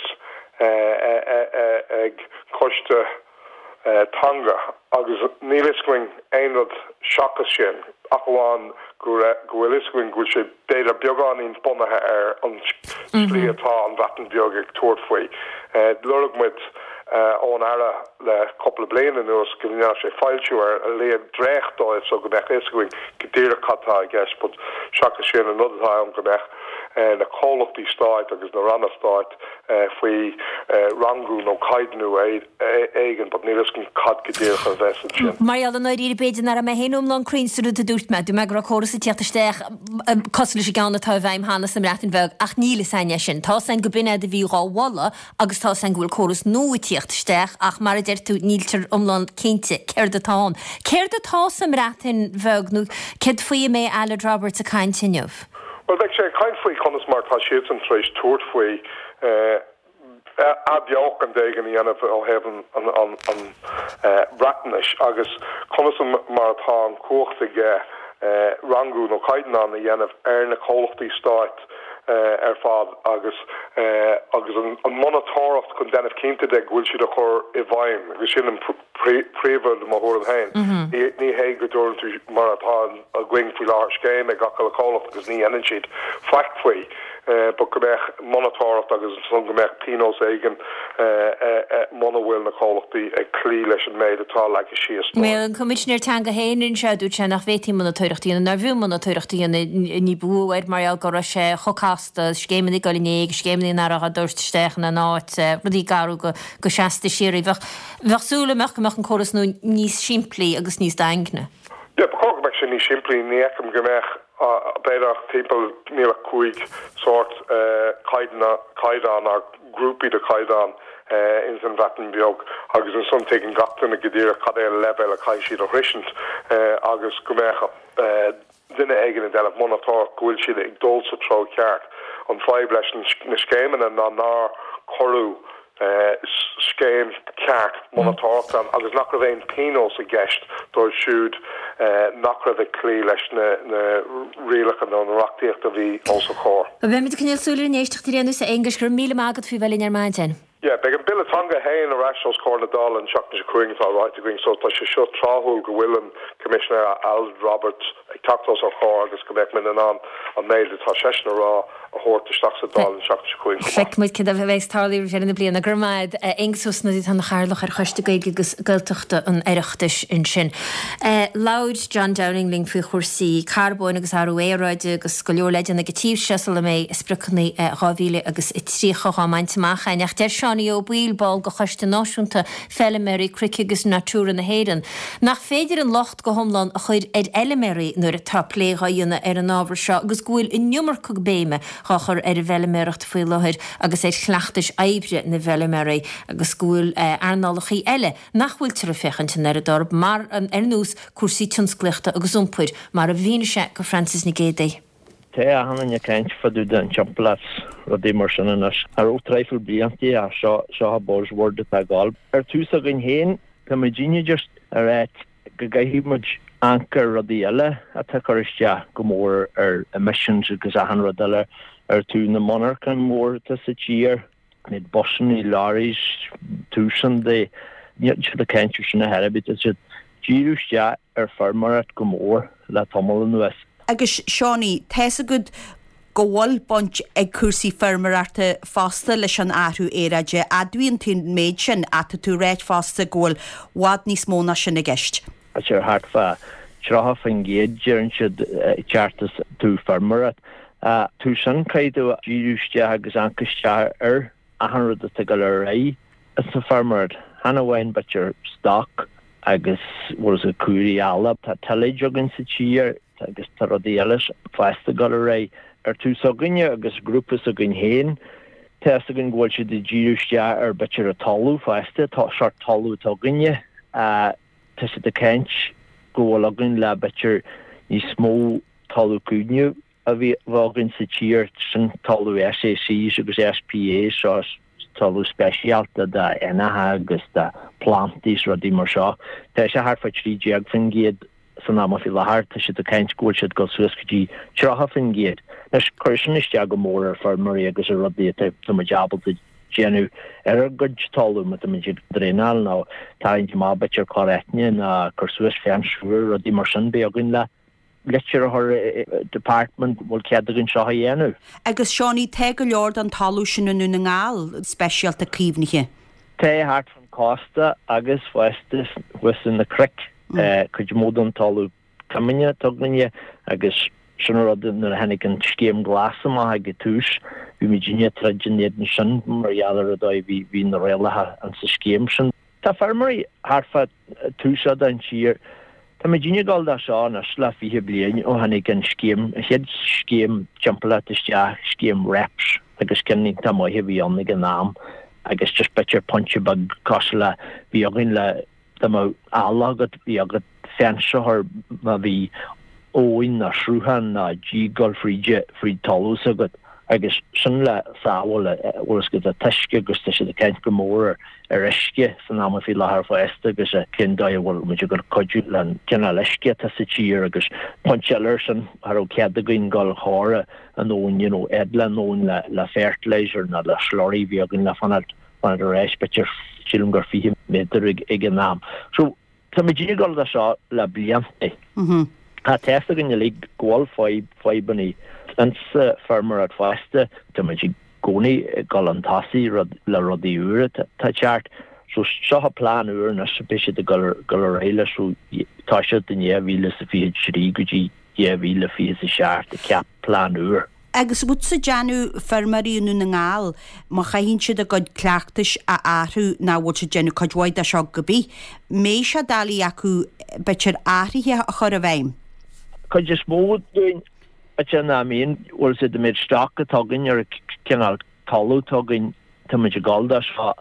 ag coiste teanga agus níl fhios againn aon rud seachas sin ach amháin go bhfuil fhios againn go bhfuil sé b'fhéidir beagáinín bunaithe ar an slí atá an Bhreatain Bheag ag tabhairt faoi. Lorg muid ón Aire le cúpla bliain anuas go ndéanfadh sé foilsiú ar a laghad dréacht dóibh so go mbeadh fhios againn go díreach cad tá i gceist but seachas sin an rud atá ann go mbeadh na comhlachtaí stáit agus na ranna stáit faoi rangú nó caighdeánú éigin but níl fhios againn cad go díreach a bheas ansin. Mar gheall i ndáiríre b'fhéidir nach raibh mé féin iomlán cruinn sa rud a dúirt mé. Dúirt mé go raibh córas ag tíocht isteach cosúil leis an gceann atá i bhfeidhm cheana sa mBreatain Bheag ach níl fhios a'inn é sin. Tá fhios a'inn go b'in é a bhí dhá mholadh agus tá fhios a'inn go bhfuil córas nua ag tíocht isteach ach mar a deir tú níltear iomlán cinnte céard atá ann. Céard atá sa mBreatain Bheag nó céard faoi a mbeidh Aled Roberts ag caint inniu? Bhuel beidh sé ag caint faoi conas mar tá siadsan tar éis tabhairt faoi athbheochan éigin a dhéanamh ó thaobh an Bhreatnais agus conas mar atá an chumhacht aige rangú nó caighdeán a dhéanamh ar na comhlachtaí stáit ar fad agus agus an monatóireacht chun déanamh cinnte de go bhfuil siad á chur i bhfeidhm agus sin an príomhrud i mo thuairim féin. Ní hé go dtabharann tú mar atá againn faoi láthair scéim ag gach uile chomhlacht agus ní dhéanann siad faic faoi but go mbeadh monatóireacht agus ansan go mbeadh pionós éigin muna bhfuil na comhlachtaí ag cloí leis an méid atá leagtha síos dóibh. An Coimisinéir Teanga féin anseo, dúirt sé nach bhféadfaí monatóireacht a dhéanamh, nárbh fhiú monatóireacht a dhéanamh ní ba mhó air mar gheall go raibh sé chomh casta, scéimeanna ag dul in éag, scéimeanna nach raibh á dtabhairt isteach ina n-áit, rudaí ag athrú go seasta síoraí. Bheadh bheadh súil agam go mbeadh an córas nua níos simplí agus níos daingne. Yeah, ba chóir go mbeadh sé níos simplí, ní fheicim go mbeadh b'fhéidir ach timpeall, níl ach cúig sórt caighdeán nó grúpaí de chaighdeán ins an Bhreatain Bheag agus ansan tuigeann gach duine go díreach cad é an leibhéal a chaithfidh siad a shroisint agus go mbeadh duine éigin ag déanamh monatóireacht go bhfuil siad ag dul sa treo ceart. An fadhb leis na scéimeanna ná nár cuireadh scéim ceart monatóireachta ann agus nach raibh aon pionós i gceist dóibh siúd nach raibh ag cloí leis na rialacha nó na reachtaíocht a bhí os a chomhair. Beimid ag coinneáil súil ar an éisteacht ar aon nós, a Aonghuis, go raibh míle maith agat faoi bheith linn ar maidin. Yeah, beidh an Bille Teanga féin ar ais os comhair na Dála an tseachtain seo chugainn atá ráite againn so tá sé seo tráthúil go bhfuil an Coimisinéir Aled Roberts ag teacht os ár chomhair agus go mbeadh muid in ann an méid atá seisean a rá a thabhairt isteach sa Dáil an tseachtain seo chugainn chomh maith. Feicfidh muid céard a bheas ag tarlú roimh dheireadh na bliana. Go raibh maith agat, Aengus Ó Snodaigh, atá ina chathaoirleach ar Choiste Gaeilge agus Gaeltachta an Oireachtais ansin. Labhair John Downing linn faoi chúrsaí carbóin agus athrú aeráide agus go leor le déanamh ag an tír seo sula mbeidh spriocanna dhá mhíle agus tríocha dhá mbaint amach againn. Ach deir Seánie Ó Baoill, ball de Choiste Náisiúnta Feilméaraí Cnoic agus Natura na hÉireann, nach féidir an locht go hiomlán a chur ar fheilméaraí nuair atá plé dhá dhéanamh ar an ábhar seo agus go bhfuil an iomarca béime dhá chur ar an bhfeilméaracht faoi láthair agus ar chleachtais oibre na bhfeilméaraí agus go bhfuil earnálacha eile nach bhfuiltear ag féachaint an oiread orthu mar ar nós cúrsaí tionsclaíochta agus iompair, mar a mhínigh sé go Frances Nic Géadaigh. Tá achan duine ag caint fá dtaobh den timpeallacht 's rudaí mar sin anois. Cha raibh traidhfil bliantaí ach seo, seo an buzzword atá ag gabháil. Ar tús againn féin, tá muidinne just ag ráit go gcaithfidh muid amharc ar rudaí eile atá ag cur isteach go mór ar emissions agus achan rud eile ar taobh na monarchan mór atá sa tír, méid busanna, lorries, túsan de, níl siad ag caint ar sin a chor ar bith, tá siad díriú isteach ar feirmeoireacht go mór le tamall anuas. Agus Seánie, tá's agat go bhfuil baint ag cúrsaí feirmeoireachta fosta leis an athrú aeráide. Admhaíonn tú an méid sin ach tá tú ag ráit fosta go bhfuil i bhfad níos mó ná sin i gceist. Tá sé thart fá tríocha faoin gcéad deireann siad ceart is tú feirmeoireacht. Tú sin caithfidh tú díriú isteach agus amharc isteach ar achan rud atá ag dul ar aghaidh sa feirmeoireacht. Chan amháin b'fhéidir stoc agus bhfuil fhios agat cúraimí eile. Tá tillage againn sa tír agus tá rudaí eile fosta ag dul ar aghaidh. Ar tús againne agus grúpa s'againn féin, tá fhios againn go bhfuil siad ag díriú isteach ar b'fhéidir an talamh fosta, sórt talamh atá againne. Tá siad ag caint go bhfuil againn le b'fhéidir níos mó talamh caomhnaithe a bheith againn sa tír, sin talamh SACs agus SPAs, seo talamh speisialta d'éanacha agus do phlandaí is rudaí mar seo. Tá sé thart fá trí déag faoin gcéad san am faoi láthair, tá siad ag caint go bhfuil siad ag dul suas go dtí tríocha faoin gcéad. Anois, cuireann sin isteach go mór ar feirmeoirí agus ar rudaí atá muid ábalta déanamh ar ár gcuid talamh má tá muid ag draenáil nó tarraingt amach b'fhéidir cor aitne nó cur suas fence úr, rudaí mar sin, beidh againn le litir a chur department bhfuil cead againn seo a dhéanamh. Agus Seánie, tá go leor den talamh sin i nDún na nGall speisialta caomhnaithe. Tá thart fan cósta agus fosta thuas in na cnoic, cuid mó den talamh coimíne atá againne agus sin an rud nuair a tháinig an scéim glas amach ag an tús bhí muidinne ag troid in éadan sin mar gheall ar an dóigh bhí bhí na rialacha in sa scéim sin. Tá feirmeoirí thart fá tús den tír Tá muidinne ag dul dó seo anois le fiche bliain ó tháinig an scéim, an chéad scéim timpeallachta isteach, scéim REPS, agus ceann iontach maith a bhí ann ag an am agus just b'fhéidir pointe beag cosúil le bhí againn le dá mbeadh eallach agat, bhí agat fence a chur má bhí abhainn nó sruthán nó díog ag dul fríd, fríd talamh s'agat. Agus sin le sábháil, bhfuil fhios agat, an t-uisce agus tá siad ag caint go mór ar uisce san am faoi láthair fosta agus cén dóigh a bhfuil muid ag dul cuidiú le an cineál uisce atá sa tír agus pointe eile ar sin, cha raibh cead againn dul thar an abhainn, you know, fhad le an abhainn le le fertilizer nó le slurry bhí againn le fanacht fanacht ar ais b'fhéidir sílim gur fiche méadar ag ag an am. So tá muid ag dul do seo le blianta. Tá fhios againn uilig go bhfuil fadhb, fadhbanna insa feirmeoireacht fosta. Tá muid i gcónaí ag dul chun tosaigh rud, le rudaí úra atá ag teacht. So seo an plean úr anois, beidh siad ag dul, dul ar aghaidh leis ó tá siad in dhá mhíle is a fiche trí go dtí dhá mhíle fiche is a seacht ag ceap plean úr. Agus bhfuil tú ag déanamh feirmeoirí i nDún na nGall, má chaitheann siad a gcuid cleachtais a athrú ná bhfuil siad ag déanamh cuid mhaith de seo go bith, mbeidh sé doiligh acu b'fhéidir athruithe a chur i bhfeidhm? Cuid is mó dúinn b'fhéidir ná mbíonn, bhfuil fhios agat an méid stoc atá againn ar an cineál talamh atá againn, tá muid ag dul dó seo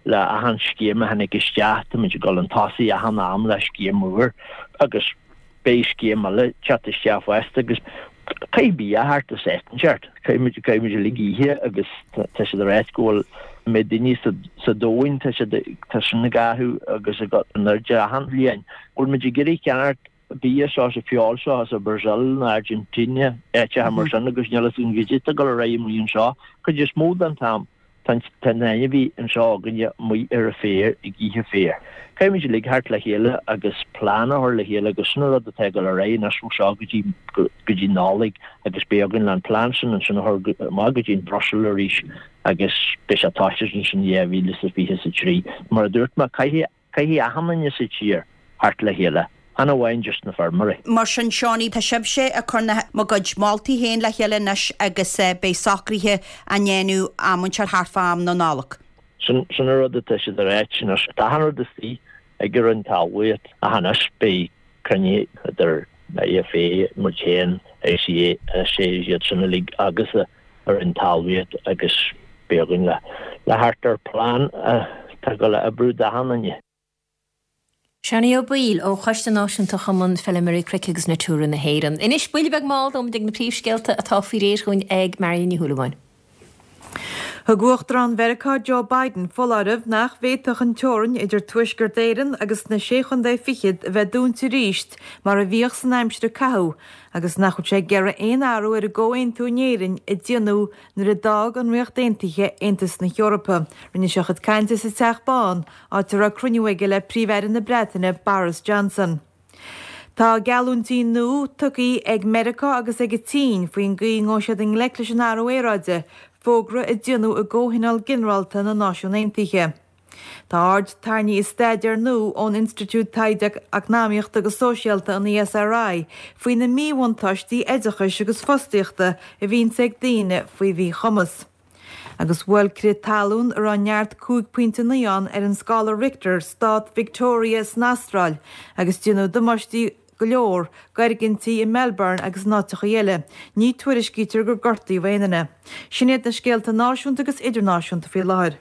le achan scéim a tháinig isteach, tá muid ag dul chun tosaigh achan am le scéim úr agus beidh scéim eile ag teacht isteach fosta agus caithfidh bia a theacht as áit inteacht. Caithfidh muid, caithfidh muid uilig ithe agus tá siad ag ráit go bhfuil an méid daoine sa, sa domhain, tá siad, tá sin ag athrú agus ag dul in airde achan bhliain. Bhfuil muid ag iarraidh ceannacht bia seo sa feoil seo as an Brazil nó Argentina, áiteacha mar sin agus níl fhios againn goidé atá ag dul ar aghaidh amuigh anseo. Cuid is mó den t-am. Tá an t-ainmhí anseo againne amuigh ar an féar ag ithe féar. Caithfidh muid uilig theacht le chéile agus plean a chur le chéile agus sin an rud atá ag dul ar aghaidh anois ó seo go dtí go dtí Nollaig agus beidh againn le an plean sin ansin a chur amach go dtí an Brussels arís agus beidh sé tosaithe ansin dhá mhíle is a fiche is a trí. Mar a dúirt mé, caithfidh Caithfidh achan duine sa tír theacht le chéile, chan amháin just na feirmeoirí. Mar sin, Seánie, tá sibhse ag cur na bhur gcuid moltaí féin le chéile anois agus beidh socruithe á ndéanamh am inteacht thart fá am na Nollag. Sin an rud atá siad a ráit anois. Tá achan rud istigh ag an Roinn Talmhaíochta ach anois beidh cruinnithe idir IFA, muid féin, ICA, iad sin uilig agus an Roinn Talmhaíochta agus beidh againn le le theacht ar plean atá ag dul a oibriú d'achan duine. Seánie Ó Baoill ó Choiste Náisiúnta Chumann Feilméaraí Cnoic agus Natura na hÉireann. Anois, buille beag mall dom ag na príomhscéalta atá faoi réir dhúinn ag Marion Ní Shúilleabháin. Thug Uachtarán Mheiriceá Joe Biden foláireamh nach bhféadfadh an teorainn idir Tuaisceart Éireann agus na Sé Chontae Fichead a bheith dúnta arís mar a bhíodh san aimsir a caitheadh agus nach bhfuil sé ag iarraidh aon athrú ar an gcomhaontú in Éirinn a déanadh nuair a d'fhág an Ríocht Aontaithe Aontas na hEorpa. Rinne sé a chuid cainte sa Teach Bán, áit a raibh cruinniú aige le Príomh-Aire na Breataine Boris Johnson. Tá geallúintí nua tugtha ag Meiriceá agus ag an tSín faoin gcaoi a ngabhfaidh siad i ngleic leis an athrú aeráide, fógra a déanadh i gComhthionól Ginearálta na Náisiún Aontaithe. Tá aird tarraingthe i staidéar nua ón Institiúid Taighde Eacnamaíochta agus Sóisialta, an ESRI, faoi na míbhuntáistí oideachais agus fostaíochta a bhíonns ag daoine faoi mhíchumas. Agus bhuail crith talún a raibh neart cúig pointe naoi ann ar an scála Richter stát Victoria san Astráil agus déanadh damáistí go leor d'fhoirgintí i Melbourne agus in áiteacha eile. Ní tuairiscítear gur gortaíodh aon duine. Sin iad na scéalta náisiúnta agus idirnáisiúnta faoi láthair.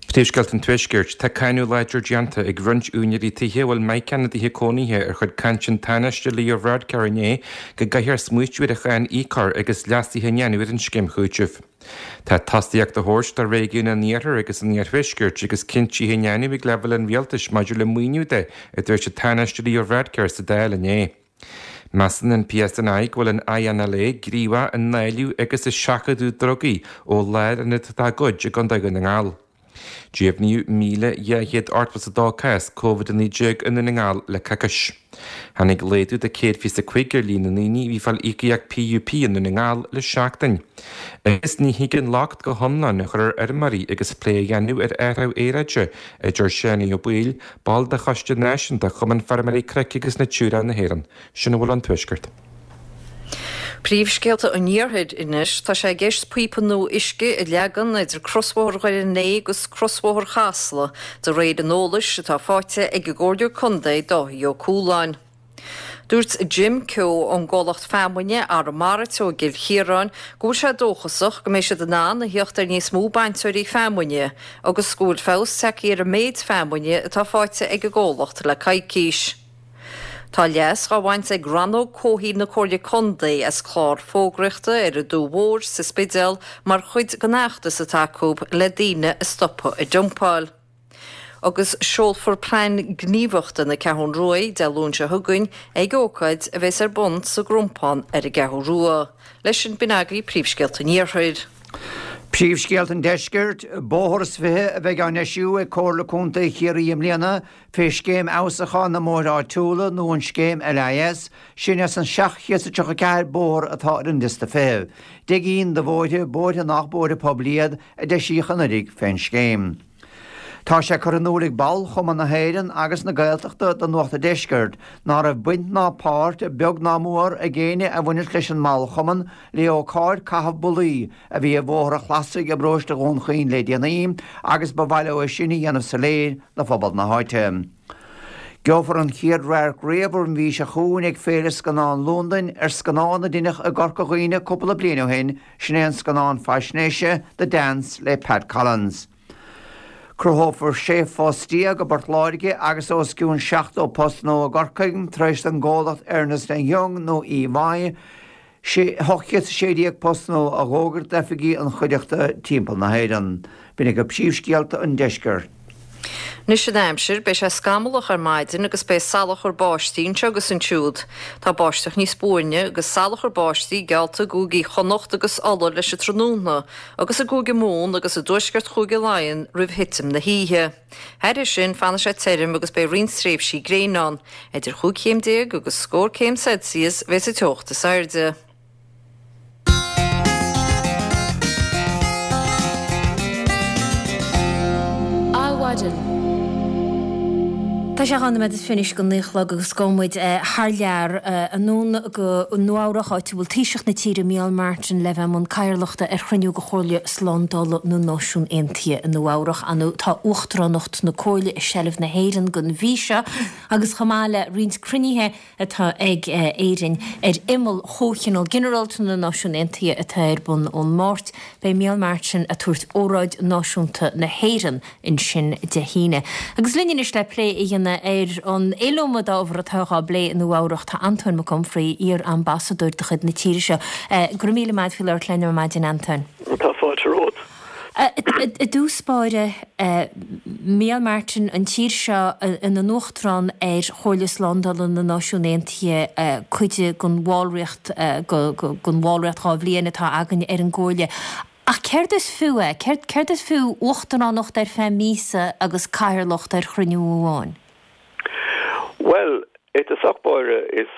Príomhscéalta an Tuaiscirt, Tá cáineadh láidir déanta ag roinnt úinéirí tithe a bhfuil meacan ina dtithe cónaithe ar chuid cainte an Tánaiste Leo Varadkar inné go gcaithfear smaoitiú ar an cháin Íocóir agus leasuithe a dhéanamh ar an scéim chúitimh. Tá tosaíocht á thabhairt do réigiún an Iarthair agus an Iarthuaiscirt agus cinntí á ndéanamh ag leibhéal an rialtais maidir le maoiniú de, a dúirt an Tánaiste Leo Varadkar sa Dáil inné. Measann an PSNI go bhfuil an INLA gníomhach i ndáileadh agus i seachadadh drugaí ó lárionad dá gcuid i gContae Dhún na nGall. Deimhníodh míle dhá chéad ochtó is a dó cás Covid a naoi déag i nDún na nGall le coicís. Tháinig laghdú de céad fiche is a cúig ar líon na ndaoine a bhí ag fáil íocaíocht PUP i nDún na nGall le seachtain. Agus ní thig an locht go hiomlán a chur ar fheirmeoirí agus plé á dhéanamh ar athrú aeráide, a deir Seánie Ó Baoill, ball de Choiste Náisiúnta Chumann Feirmeoirí Cnoic agus Natura na hÉireann. Sin a bhfuil ón Tuaisceart. Príomhscéalta an Iarthair anois, tá sé i gceist píopa nua uisce a leagan idir crosbhóthar Dhoire an Fhéich agus crosbhóthar Chasla, de réir an eolais atá faighte ag an gComhairleoir Contae Dáithí Ó Cualáin. Dúirt Jim Keogh ón gcomhlacht feamainne Arramara Teo i gCill Chiaráin go bhfuil sé dóchasach go mbeidh siad in ann a theacht ar níos mó bainteoirí feamainne agus go bhfuil feabhas tagtha ar an méid feamainne atá faighte ag an gcomhlacht le coicís. Tá leas dhá bhaint ag Rannóg Comhshaoil na Comhairle Contae as clár fógraíochta ar an Dumha Mhór sa Spidéal mar chuid den fheachtas atá acu le daoine a stopadh ag dumpáil. Agus seolfar Plean Gníomhachta na Ceathrún Rua Dé Luain seo chugainn ag ócáid a bheas ar bun sa gCrompán ar an gCeathrú Rua. Leis sin b'in agaibh príomhscéalta an Iarthair. Príomhscéalta an Deiscirt, Bóthar is fiche a bheidh á ndeisiú ag Comhairle Contae Chiarraí i mbliana fé Scéim Fheabhsúcháin na mBóithre Áitiúla nó an Scéim LIS, sin as an seacht chéad is tríocha ceathair bóthar atá ar an liosta feithimh. Deich gcinn de bhóithre, bóithre nach bóithre poiblí iad, a deisíodh anuraidh fén scéim. Tá sé curtha in iúl ag ball Chumann na hÉireann agus na Gaeltachta do Nuacht an Deiscirt ná raibh baint ná páirt, beag ná mór, ag éinne a bhaineas leis an mballchumann le ócáid caitheamh bullaí a bhí i Bhóthar an Chlasaigh i bparóiste Dhún Chaoin le déanaí agus ba mhaith leo é sin a dhéanamh soiléir do phobal na háite. Gheofar an chéad radharc riamh an mhí seo chugainn ag Féile Scannán Londain ar scannán a deineadh i gCorca Dhuibhne cúpla bliain ó shin, sin é an scannán faisnéise The Dance le Pat Collins. Cruthófar sé phost déag i bPort Láirge agus os cionn seachtó post nua i gCorcaigh tar éis don gcomhlacht Ernest and Young nó EY ocht gcéad is a sé déag post nua a dh'fhógairt d'oifigí an chuideachta timpeall na hÉireann. B'in agaibh príomhscéalta an deiscirt. Anois an aimsir, beidh sé scamallach ar maidin agus beidh salachar báistí anseo agus ansiúd. Tá báisteach níos buaine agus salachar báistí geallta i gcúigí Chonnacht agus Uladh leis an tráthnóna agus i gCúige Mumhan agus i dtuaisceart Chúige Laighean roimh thitim na hoíche. Thairis sin, fanfaidh sé tirim agus beidh roinnt tréimhsí gréine ann. Idir chúig chéim déag agus scór céim Celsius a bheas an teocht is airde. Adhmhaidin. Tá sé dhá nóiméad is fiche anois go naoi a chlog agus gabhfaidh muid thar lear anonn go Nua Eabhrac áit a bhfuil Taoiseach na tíre Micheál Martin le bheith i mbun cathaoirleachta ar chruinniú de Chomhairle Slándála na Náisiún Aontaithe i Nua Eabhrac. Ar ndóigh tá Uachtaránacht na Comhairle i seilbh na hÉireann don mhí seo agus chomh maith le roinnt cruinnithe atá ag Éirinn ar imeall Chomhthionól Ginearálta na Náisiún Aontaithe atá ar bun ón Máirt. Beidh Micheál Martin ag tabhairt óráid náisiúnta na hÉireann ansin Dé hAoine. Agus linn anois le plé a dhéanamh ar an iliomad ábhar atá á bplé i Nua Eabhrac tá Antóin Mac Unfraidh, iar-ambasadóir de chuid na tíre seo. Go raibh míle maith faoi labhairt linn ar maidin, Antóin. Tá fáilte romhat. I dtús báire, Micheál Martin, an tír seo ina n-uachtarán ar Chomhairle Slándála na Náisiún Aontaithe, cuid den bhallraíocht, den bhallraíocht dhá bhliain atá againn ar an gComhairle. Ach céard is fiú é? Céard is fiú uachtaránacht ar feadh míosa agus cathaoirleacht ar chruinniú amháin? Bhuel, I dtosach báire is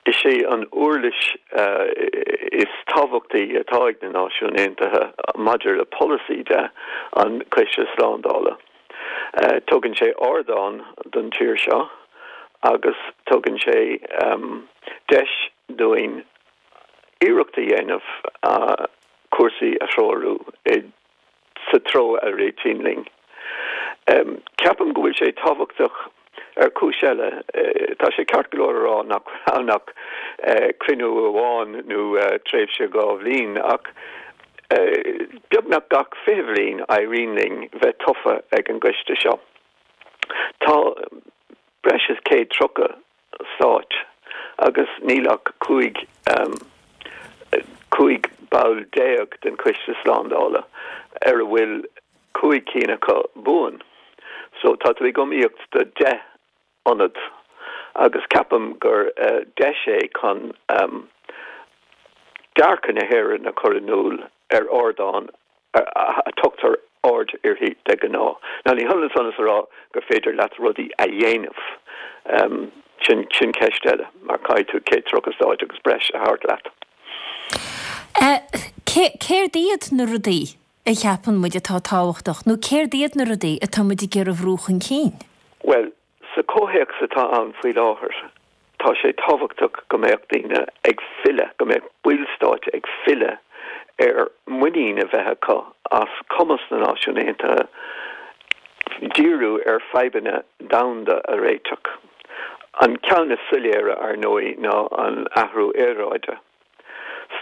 is é an uirlis is tábhachtaí atá ag na Náisiúin Aontaithe maidir le polasaí de an Coiste Slándála. Tugann sé ardán don tír seo agus tugann sé deis dúinn iarracht a dhéanamh cúrsaí a threorú i sa treo a réitíonn linn. Ceapaim go bhfuil sé tábhachtach ar chúis eile. Tá sé ceart go leor a rá nach raibh ann ach cruinniú amháin nó tréimhse dhá bhliain ach beagnach gach fiche bhliain éiríonn linn bheith tofa ag an gcoiste seo. Tá breis is céad tríocha stát agus níl ach cúig cúig ball déag den Choiste Slándála ar a bhfuil cúig cinn acu buan. So tá tú ag iomaíocht do deich ionad agus ceapaim gur deis é chun dearcadh na hÉireann a chur in iúl ar ardán a tugtar aird uirthi de ghnáth. Now ní hionann san is a rá gur féidir leat rudaí a dhéanamh. Sin sin ceist eile mar caithfidh tú céad tríocha stáit agus breis a thabhairt leat. Céard iad na rudaí a cheapann muid atá tábhachtach nó céard iad na rudaí atá muid ag iarraidh a bhrú chun cinn? Bhuel, sa chomhthéacs atá ann faoi láthair, tá sé tábhachtach go mbeadh daoine ag filleadh, go mbeadh ballstáit ag filleadh ar muinín a bheith acu as cumas na Náisiún Aontaithe díriú ar fadhbanna domhanda a réiteach. An ceann is soiléire, ar ndóigh, ná an athrú aeráide.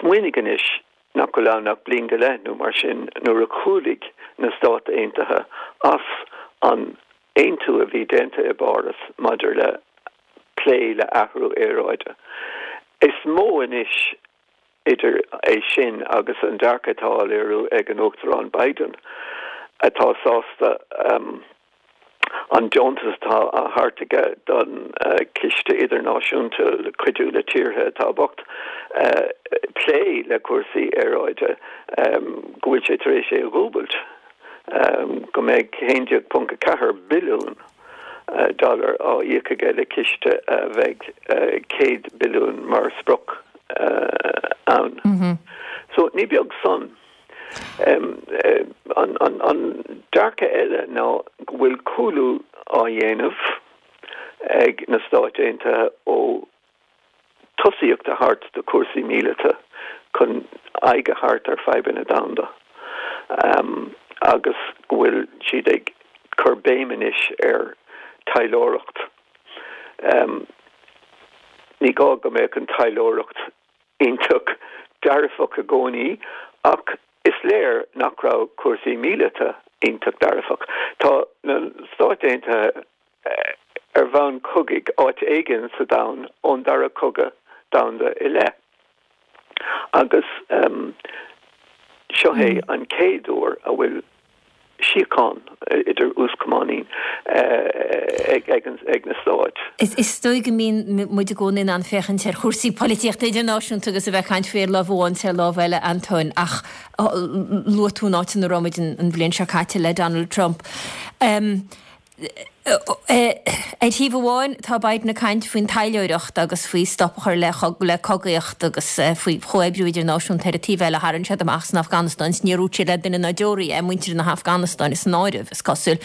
Smaoinigh anois nach bhfuil ann ach bliain go leith nó mar sin nuair a chúlaigh na Stáit Aontaithe as an aontú a bhí déanta i bPáras maidir le plé le athrú aeráide. Is mó anois idir é sin agus an dearcadh atá á léiriú ag an Uachtarán Biden atá sásta an deontas atá á thabhairt aige don Chiste Idirnáisiúnta le cuidiú le tíortha atá bocht plé le cúrsaí aeráide, go bhfuil sé tar éis é a dhúbailt, go mbeidh a haon déag ponc a ceathair billiún dollar á íoc aige le ciste a bheidh céad billiún mar sprioc ann. So ní beag san. An dearcadh eile ná go bhfuil cúlú á dhéanamh ag na Stáit Aontaithe ó tosaíocht a thabhairt do chúrsaí míleata chun aghaidh a thabhairt ar fadhbanna domhanda agus go bhfuil siad ag cur béim anois ar taidhleoireacht. Ní gá go mbeadh an taidhleoireacht iontach dearfach i gcónaí ach is léir nach raibh cúrsaí míleata iontach dearfach. Tá na Stáit Aontaithe ar bhonn cogaidh áit éigin sa domhan ón Dara Cogadh Domhanda i leith. Agus seo é an chéad uair a bhfuil síocháin idir uaschamán ag na stáit. Is dóigh go mbíonn muid i gcónaí in ann féachaint ar chúrsaí polaitíochta idirnáisiúnta agus a bheith ag caint faoi ar lámh amháin is ar lámh eile, Antóin, ach luaigh tú an áit ina raibh muid an bhliain seo caite le Donald Trump. Ar thaobh amháin, tá Biden ag caint faoin taidhleoireacht agus faoi stop a chur le le cogaíocht agus faoi chomhoibriú idirnáisiúnta. Ar an taobh eile, tharraing siad amach as an Afganastáin is níor dhúirt siad le duine ná deoraí é, muintir na hAfganastáine san áireamh, is cosúil.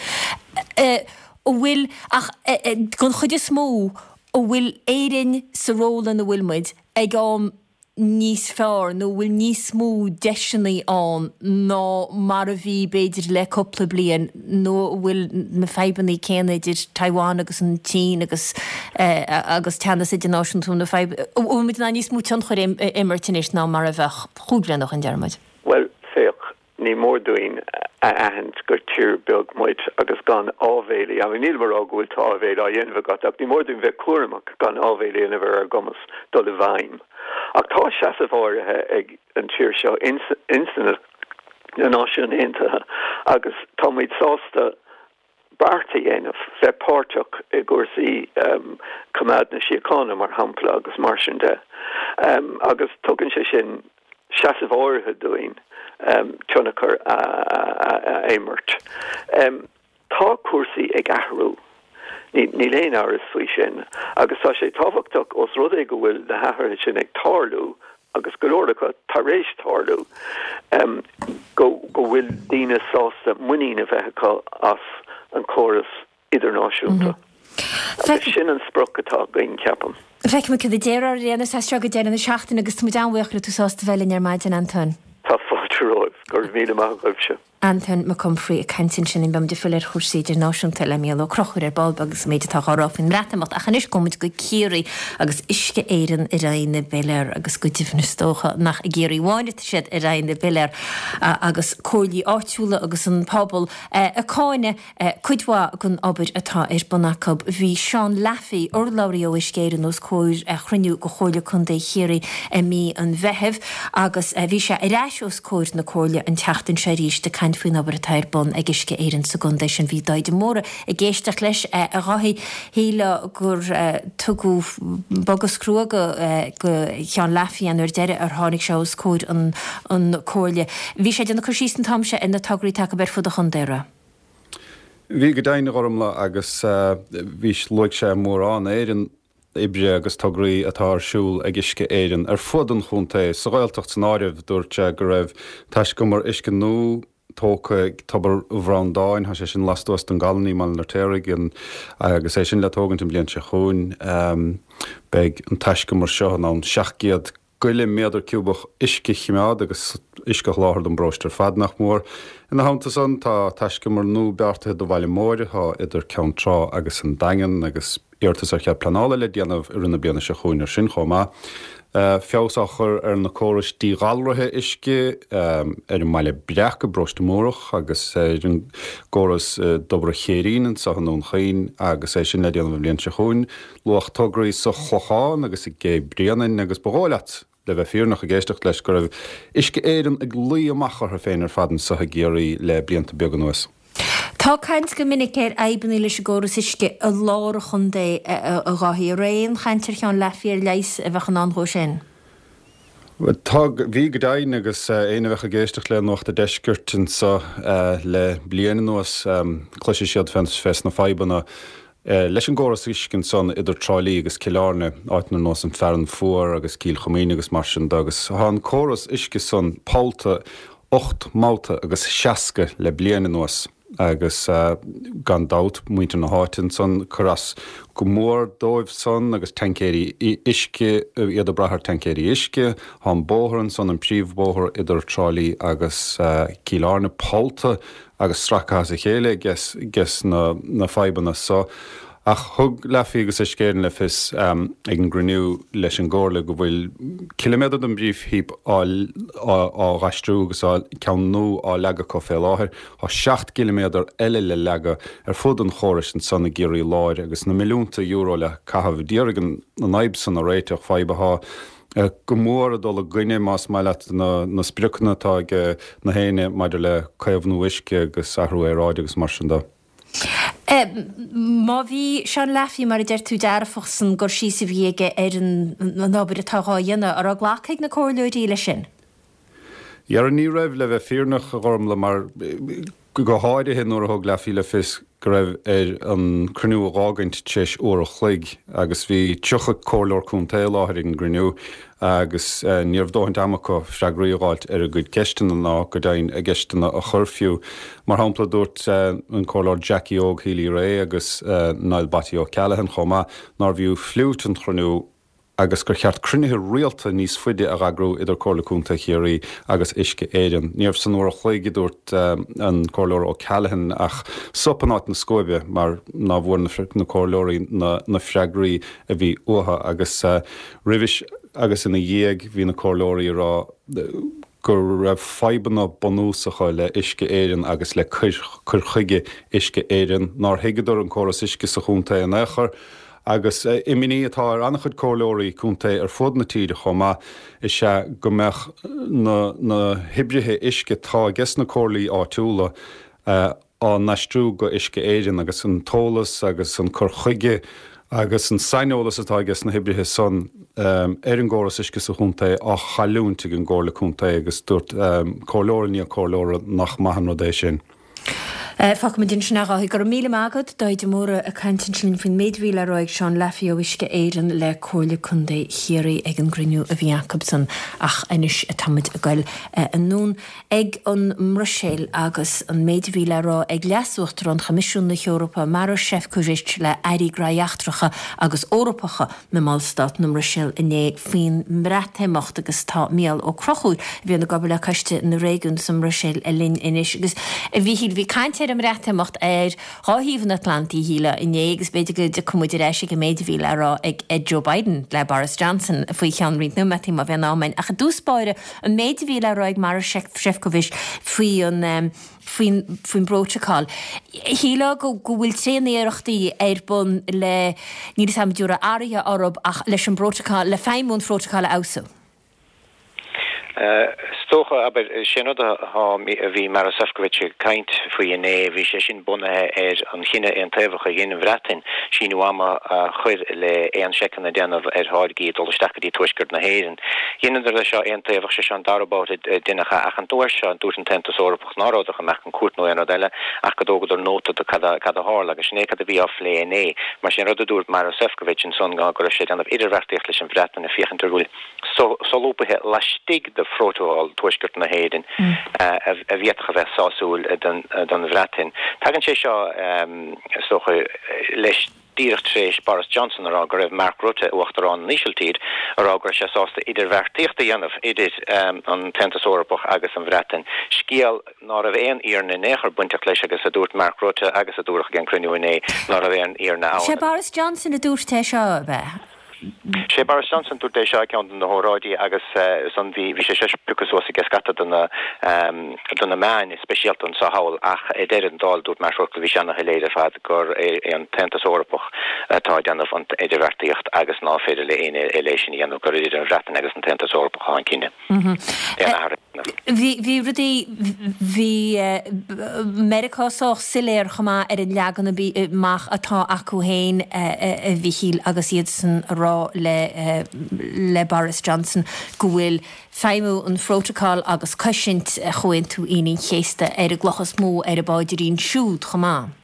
An bhfuil, ach den chuid is mó, an bhfuil Éirinn sa ról ina bhfuil muid ag am níos fearr nó bhfuil níos mó deiseanna ann ná mar a bhí b'fhéidir le cúpla bliain nó an bhfuil na fadhbanna céanna idir Taiwan agus an tSín agus agus teannas idirnáisiúnta na fadhb an bhfuil muid in ann níos mó tionchar a imirt anois ná mar a bheadh chúig bliana ó shin, deir muid? Bhuel, féach, Ní mór dúinn a aithint gur tír beag muid agus gan áibhéil a dhéanamh. Nílim ag rá go bhfuil tá áibhéil á dhéanamh agat ach ní mór dúinn bheith cúramach gan áibhéil a dhéanamh ar ár gcumas dul i bhfeidhm. Ach tá seasamh áirithe ag an tír seo ins na Náisiúin Aontaithe agus tá muid sásta beart a dhéanamh, bheith páirteach i gcúrsaí coimeád na síochána, mar shampla, agus mar sin de. Agus tugann sé sin seasamh áirithe dúinn tionchar a imirt. Tá cúrsaí ag athrú. Níl aon amhras faoi sin. Agus tá sé tábhachtach os rud é go bhfuil na hathruithe sin ag tarlú, agus go leor acu tar éis tarlú, go go bhfuil daoine sásta muinín a bheith acu as an córas idirnáisiúnta. Agus sin an sprioc atá againn, ceapaim. Feicfidh muid cad a déarfar ar aon nós as seo go deireadh na seachtaine agus tá muid an-bhuíoch go raibh tú sásta bheith linn ar maidin, Antoin. Tá fáilte romhaibh. Go raibh míle maith agaibhse. Antoin Mac Unfraidh ag caint ansin. Beidh muid ag filleadh ar chúrsaí idirnáisiúnta le Mícheál Ó Conchúir ar ball beag agus an méid atá á rá faoin mBreatimeacht. Ach anois gabhfaidh muid go Ciarraí agus Uisce Éireann ar aghaidh na bpiléar agus go deimhin is dócha nach i gCiarraí amháin atá siad ar aghaidh na bpiléar agus comhairlí áitiúla agus an pobal ag cáineadh cuid mhaith den obair atá ar bun acu. Bhí Seán Laffey, urlabhraí ó Uisce Éireann os comhair chruinniú de Chomhairle Contae Chiarraí i mí an Mheithimh agus bhí sé ar ais os comhair na Comhairle an tseachtain seo arís ag caint faoin obair atá ar bun ag Uisce Éireann sa gcontae sin. Bhí Dáithí de Mórdha ag éisteacht leis a Dháithí. Shílfeá gur tugadh bogadh is crua do Sheán Laffey an uair deiridh ar tháinig sé os comhair an Comhairle. Bhí sé ag déanamh cur síos an t-am seo ar na tograí atá acu ar fud an chontae, an raibh? Bhí go deimhin, a Ghormfhlaith, agus bhí, luaigh sé mórán ar an oibre agus tograí atá ar siúl ag Uisce Éireann ar fud an chontae, sa Ghaeltacht san áireamh. Dúirt sé go raibh taiscumar uisce nua tógtha ag Tobar Bhreandáin, tá sé sin lastuas den gCallainn i mBaile an Fheirtéaraigh, agus é sin le tógaint an bhliain seo chugainn. Beidh an taiscumar seo in ann seacht gcéad goile méadar ciúbach uisce a choimeád agus uisce a sholáthar don bparóiste ar fad, nach mór. Ina theannta san, tá taiscumar nua beartaithe do Bhaile Móir, atá idir Ceann Trá agus an Daingean, agus iarratas ar chead pleanála le déanamh i rith na bliana seo chugainn ar sin chomh maith. Feabhas á chur ar na córais díghalraithe uisce ar an mBaile Breac i bParóiste Múrach agus ar an gcóras i dTobar an Chéirín anseo i nDún Chaoin agus é sin le déanamh an bhliain seo chugainn. Luadh tograí sa Chlochán agus i gCé Bréanainn agus ba dhóigh leat, le bheith fírinneach ag éisteacht leis, go raibh Uisce Éireann ag luí amach orthu féin ar fad anseo i gCiarraí le blianta beaga anuas. Tá caint go minic ar fhadhbanna leis an gcóras uisce i lár an chontae, a Dháithí. An raibh aon chaint ar Sheán Laffey ar leigheas a bheadh i ndán dhó sin? Tá, bhí go deimhin, agus éinne a bheadh ag éisteacht le Nuacht a' Deiscirt anseo le bliain anuas, cloisfidh siad fés na fadhbanna leis an gcóras uisce ansan idir Trá Lí agus Cill Airne, áiteanna ar nós an Fearann Fuar agus Cill Choimín agus mar sin de, agus tá an córas uisce san pollta ocht mbabhta agus seasca le bliain anuas agus gan dabht muintir na háite ansan cur as go mór dóibh san agus taincéirí uisce, iad ag brath ar taincéirí uisce. Tá an bóthar ansan, an príomhbhóthar idir Trá Lí agus Cill Airne pollta agus sractha as a chéile ages na fadhbanna so. Ach thug Laffey agus Uisce Éireann le fios ag an gcruinniú leis an gComhairle go bhfuil ciliméadar den bpríomhphíopa á dh'aistriú agus ceann nua á leagadh acu fé láthair. Tá seacht gciliméadar eile le leagadh ar fud an chórais ansan i gCiarraí Láir agus na milliúnta euro le caitheamh d'iarraidh an fhadhb san a réiteach, fadhb atá go mór ag dul i gcoinne, más maith leat, na spriocanna atá ag na héinne maidir le caomhnú uisce agus athrú aeráide agus mar sin de. Má bhí Seán Laffey, mar a deir tú, dearfach san gcur síos a bhí aige ar an obair atá dhá dhéanamh, an raibh glactha ag na comhairleoirí leis sin? Dhera, ní raibh, le bheith fírinneach, a Ghormfhlaith, mar go háirithe nuair a thug Laffey le fios go raibh air an cruinniú a dh'fhágaint tar éis uair a chloig agus bhí tríocha comhairleoir contae i láthair ag an gcruinniú agus ní raibh dóthaint ama acu freagraí a dh'fháilt ar a gcuid ceisteanna ná go deimhin a gceisteanna a chur fiú. Mar shampla, dúirt an Comhairleoir Jackie Óg Healy-Rae agus Niall Batty O'Callaghan chomh maith nárbh fhiú fliúit an chruinniú agus gur cheart cruinnithe rialta níos faide a dh'eagrú idir Comhairle Contae Chiarraí agus Uisce Éireann. Ní raibh san uair a chloig, a dúirt an Comhairleoir O'Callaghan, ach sop in áit na scuaibe mar ná bhfuair na comhairleoirí na freagraí a bhí uathu agus roimhis agus ina dhiaidh bhí na comhairleoirí ag rá go raibh fadhbanna bunúsacha le Uisce Éireann agus le cur chuige Uisce Éireann, nár thuigeadar an córas uisce sa chontae in aon chor agus imní atá ar an-chuid comhairleoirí contae ar fud na tíre chomh maith is ea go mbeadh na hoibrithe uisce atá ages na comhairlí áitiúla á n-aistriú go Uisce Éireann agus an t-eolas agus an cur chuige agus an saineolas atá ages na hoibrithe san ar an gcóras uisce sa chontae á chailliúint ag an gComhairle Contae agus dúirt comhairleoir i ndiaidh comhairleora nach maith an rud é sin. Fágfaimid ansin é a Dháithí. Go raibh míle maith agat, Dáithí de Mórdha ag caint ansin faoin méid a bhí le rá ag Seán Laffey ó Uisce Éireann le Comhairle Contae Chiarraí ag an gcruinniú a bhí acusan ach anois táimid ag goil anonn ag an mBruiséil agus an méid a bhí le rá ag Leas-Uachtarán Choimisiún na hEorpa Maroš Šefčovič le Airí Gnóthaí Eachtracha agus Eorpacha na mBallstát i mBruiséil inné faoin mBreatimeacht agus tá Mícheál Ó Conchúir a bhíonn ag obair le Coiste na Réigiún sa mBruiséil linn anois agus a Mhíchíl bhí caint ar an mBreatimeacht ar dhá thaobh an Atlantaigh shílfeá inné agus b'fhéidir go dtiocfaidh muid ar ais ag an méid a bhí le rá ag Joe Biden le Boris Johnson faoi cheann roinnt nóiméadaí má bhíonn am againn. Ach i dtús báire an méid a bhí le rá ag Maroš Šefčovič faoi an faoin faoin bprótacal. Shílfeá go go bhfuil tréaniarrachtaí ar bun le níl a fhios agam an dtabharfá athruithe orthu ach leis an bprótacal le feidhmiú an phrótacail a fheabhsú. Is dócha, abair, sin rud a bhí Maroš Šefčovič ag caint faoi inné, bhí sé sin bunaithe ar an chinneadh aontaobhach a dhein an Bhreatain síneadh ama a chur le aon seiceanna a dhéanamh ar tháirgí ag dul isteach go dtí tuaisceart na hÉireann. Dheineadar é seo aontaobhach, sé seo an dara babhta a deineadh é ach an uair seo dúirt an tAontas Eorpach ná raibh go mbeadh an cúirt nó aon rud eile ach go dtógadar nóta de cad a tharla agus sin é cad a bhí á phlé inné. Mar sin rud a dúirt Maroš Šefčovič ansan ná go raibh sé ag déanamh idirbheartaíocht leis an Bhreatain ag féachaint ar bhfuil solúbthaithe laistigh de phrótacal Tuaisceart na hÉireann a bhféadfadh a bheith sásúil don Bhreatain. Tagann sé seo, is dócha, leis díreach tar éis Boris Johnson a rá go raibh Mark Rutte, Uachtarán na hÍsiltíre, a rá go raibh sé sásta idirbheartaíocht a dhéanamh idir an tAontas Eorpach agus an Bhreatain, scéal ná raibh aon fhírinne in aon chor bainteach leis agus a dúirt Mark Rutte agus a dúradh ag an cruinniú inné ná raibh aon fhírinne ann. Sé Boris Johnson a dúirt é seo, ab ea? Sé Boris Johnson dúirt é seo ag ceann de na hóráidí agus ansan bhí bhí sé seo pioctha suas ag scata de na de na meáin, speisialta anseo thall ach ar deireadh an dáil dúirt Mark Rutte bhí sé ana-shoiléir ar fad gur é an tAontas Eorpach atá ag déanamh an idirbheartaíocht agus ná féidir le éinne eile é sin a dhéanamh, gur idir an Bhreatain agus an tAontas Eorpach atá an cinneadh. Aon athrú a dhéanamh. Bhí bhí rudaí bhí Meiriceá sách soiléir chomh maith ar an leagan amach atá acu féin a Mhíchíl agus iadsan a rá le le Boris Johnson go bhfuil feidhmiú an phrótacail agus cosaint Chomhaontú Aoine an Chéasta ar an gcloch is mó ar a bpaidrín siúd chomh maith.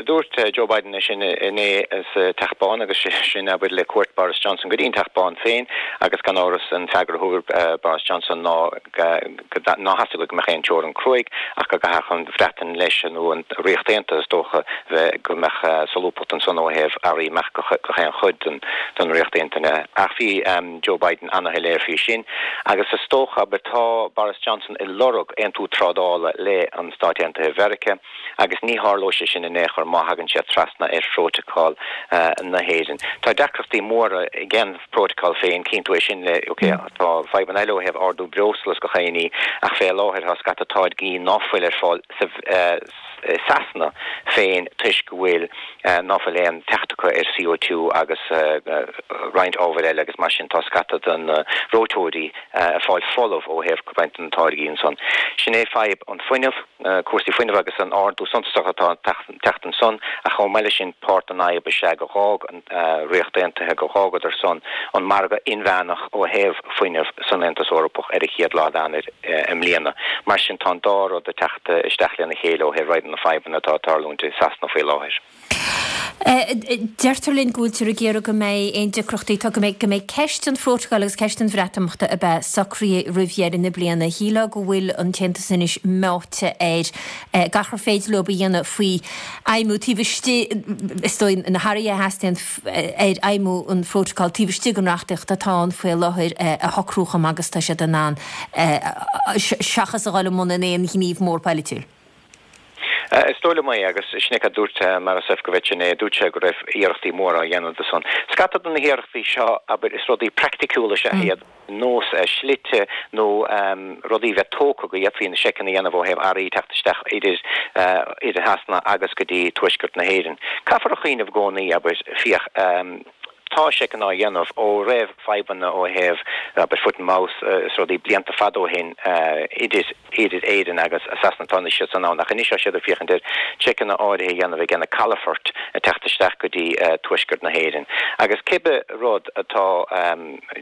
Dúirt Joe Biden é sin inné sa Teach Bán agus sin abair le cuairt Boris Johnson go dtí an Teach Bán féin agus gan amhras an freagra a thug Boris Johnson ná ná theastaigh go mbeadh aon teorainn cruaidh ach go gcaithfeadh an Bhreatain leis nó an Ríocht Aontaithe is dócha bheith go mbeadh solúbthacht ansan ó thaobh earraí amach go haon chuid den den Ríocht Aontaithe. Ach bhí Joe Biden ana-shoiléir faoi sin agus is dócha abair tá Boris Johnson ag lorg aontú trádála le an Stáit Aontaithe Mheiriceá agus ní tharlóidh sé sin in aon chor má thagann sé trasna ar phrótacal na hÉireann. Tá deacrachtaí móra ag an phrótacal féin, cíonn tú é sin le, ok, tá fadhbanna eile ó thaobh ardú breosla is gach aon ní ach fé láthair tá scata táirgí ná fuil ar fáil sa Sasana féin toisc go bhfuil ná fuil aon teacht acu ar C O two agus roinnt ábhair eile agus mar sin tá scata de na reoiteoirí ag fáil folamh ó thaobh roinnt de na táirgí ansan. Sin é fadhb an fuinneamh, cúrsaí fuinnimh agus an ardú suntasach atá ag teacht ansan ach chomh maith leis sin páirt den fhadhb is ea go dh'fhág an Ríocht Aontaithe, go dh'fhágadar san an margadh inmheánach ó thaobh fuinnimh san Aontas Eorpach ar an chéad lá d'Eanáir i mbliana. Mar sin tá an dá rud ag teacht isteach lena chéile ó thaobh roinnt de na fadhbanna atá ag tarlúint i Sasana faoi láthair. Deirtear linn go bhfuiltear ag iarraidh go mbeidh aon deacrachtaí atá, go mbeidh, go mbeidh ceist an phrótacail agus ceist an Bhreatimeachta a bheith socraithe roimh dheireadh na bliana. Shílfeá go bhfuil an tAontas anois meáite ar gach ar féidir leo a dhéanamh faoi fheidhmiú taobh istigh, is dóigh, na hathruithe a theastaíonn ar fheidhmiú an phrótacail taobh istigh den reachtaíocht atá ann faoi láthair a shocrú chomh maith agus atá siad in ann seachas a dhul i mbun aon ghníomh mór polaitiúil. Is dóigh liom é, agus sin é cad dúirt Maroš Šefčovič inné, dúirt sé go raibh iarrachtaí móra á dhéanamh de son. Scata de na hiarrachtaí seo, abair, is rudaí praiticiúla is ea iad, nós slite nó rudaí a bheith tógtha go bhféadfaí na seiceanna a dhéanamh ó thaobh earraí teacht isteach idir idir Shasana agus go dtí tuaisceart na hÉireann. Caithfear a chuimhneamh i gcónaí, abair, féach, tá tá seiceanna á dhéanamh ó raibh fadhbanna ó thaobh abair foot and mouth is rudaí blianta fada ó shin idir idir Éirinn agus Sasana tá siad san ann ach anois tá siad ag féachaint ar seiceanna áirithe a dhéanamh ag na calafoirt ag teacht isteach go dtí tuaisceart na hÉireann. Agus cibé rud atá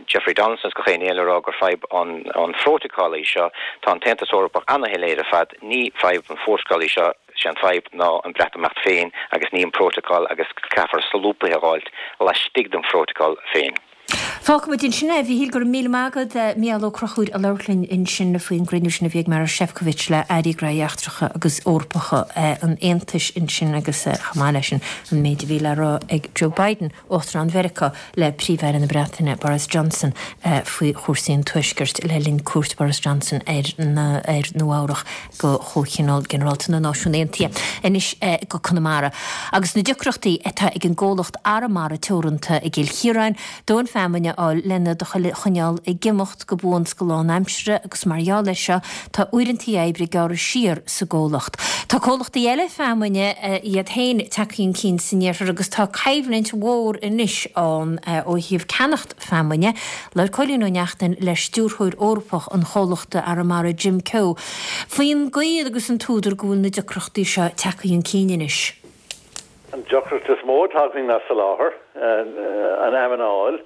Jeffrey Donaldson is gach éinne eile a rá gur fadhb an an phrótacal í seo, tá an tAontas Eorpach an-shoiléir ar fad, ní fadhb an phrótacail í seo, sé an fadhb ná an Breatimeacht féin agus ní an prótacal agus caithfear solúbtha a fháilt laistigh den phrótacal féin. Fágfaimid ansin é, a Mhíchíl, go raibh míle maith agat, Mícheál Ó Conchúir a labhairt linn ansin faoin gcruinniú sin a bhí ag Marois Sefcovic le Airí Gnóthaí Eachtracha agus Eorpacha an Aontais ansin agus chomh maith leis sin an méid a bhí le rá ag Joe Biden, Uachtarán Mheiriceá, le Príomh-Aire na Breataine Boris Johnson faoi chúrsaí an Tuaiscirt le linn cuairt Boris Johnson ar ar Nua Eabhrac go Comhthionól Ginearálta na Náisiún Aontaithe. Anois go Conamara. Agus na deacrachtaí atá ag an gcomhlacht Arramara Teoranta i gCill Chiaráin, dóthain feamainne a fháil lena choinneáil ag imeacht go buan 's go lánaimseartha agus mar gheall air seo tá uaireanta oibre gearrtha siar sa gcomhlacht. Tá comhlachtaí eile feamainne iad féin tagtha chun cinn san iarthar agus tá coimhlint mhór anois ann ó thaobh ceannacht feamainne. Labhair Cóilín Ó Neachtain le stiúrthóir Eorpach an chomhlachta Arramara Jim Keogh faoin gcaoi agus an t-údar go bhfuil na deacrachtaí seo tagtha chun cinn anois. An deacracht is mó atá againn ná soláthar, an fheamainn a fháil.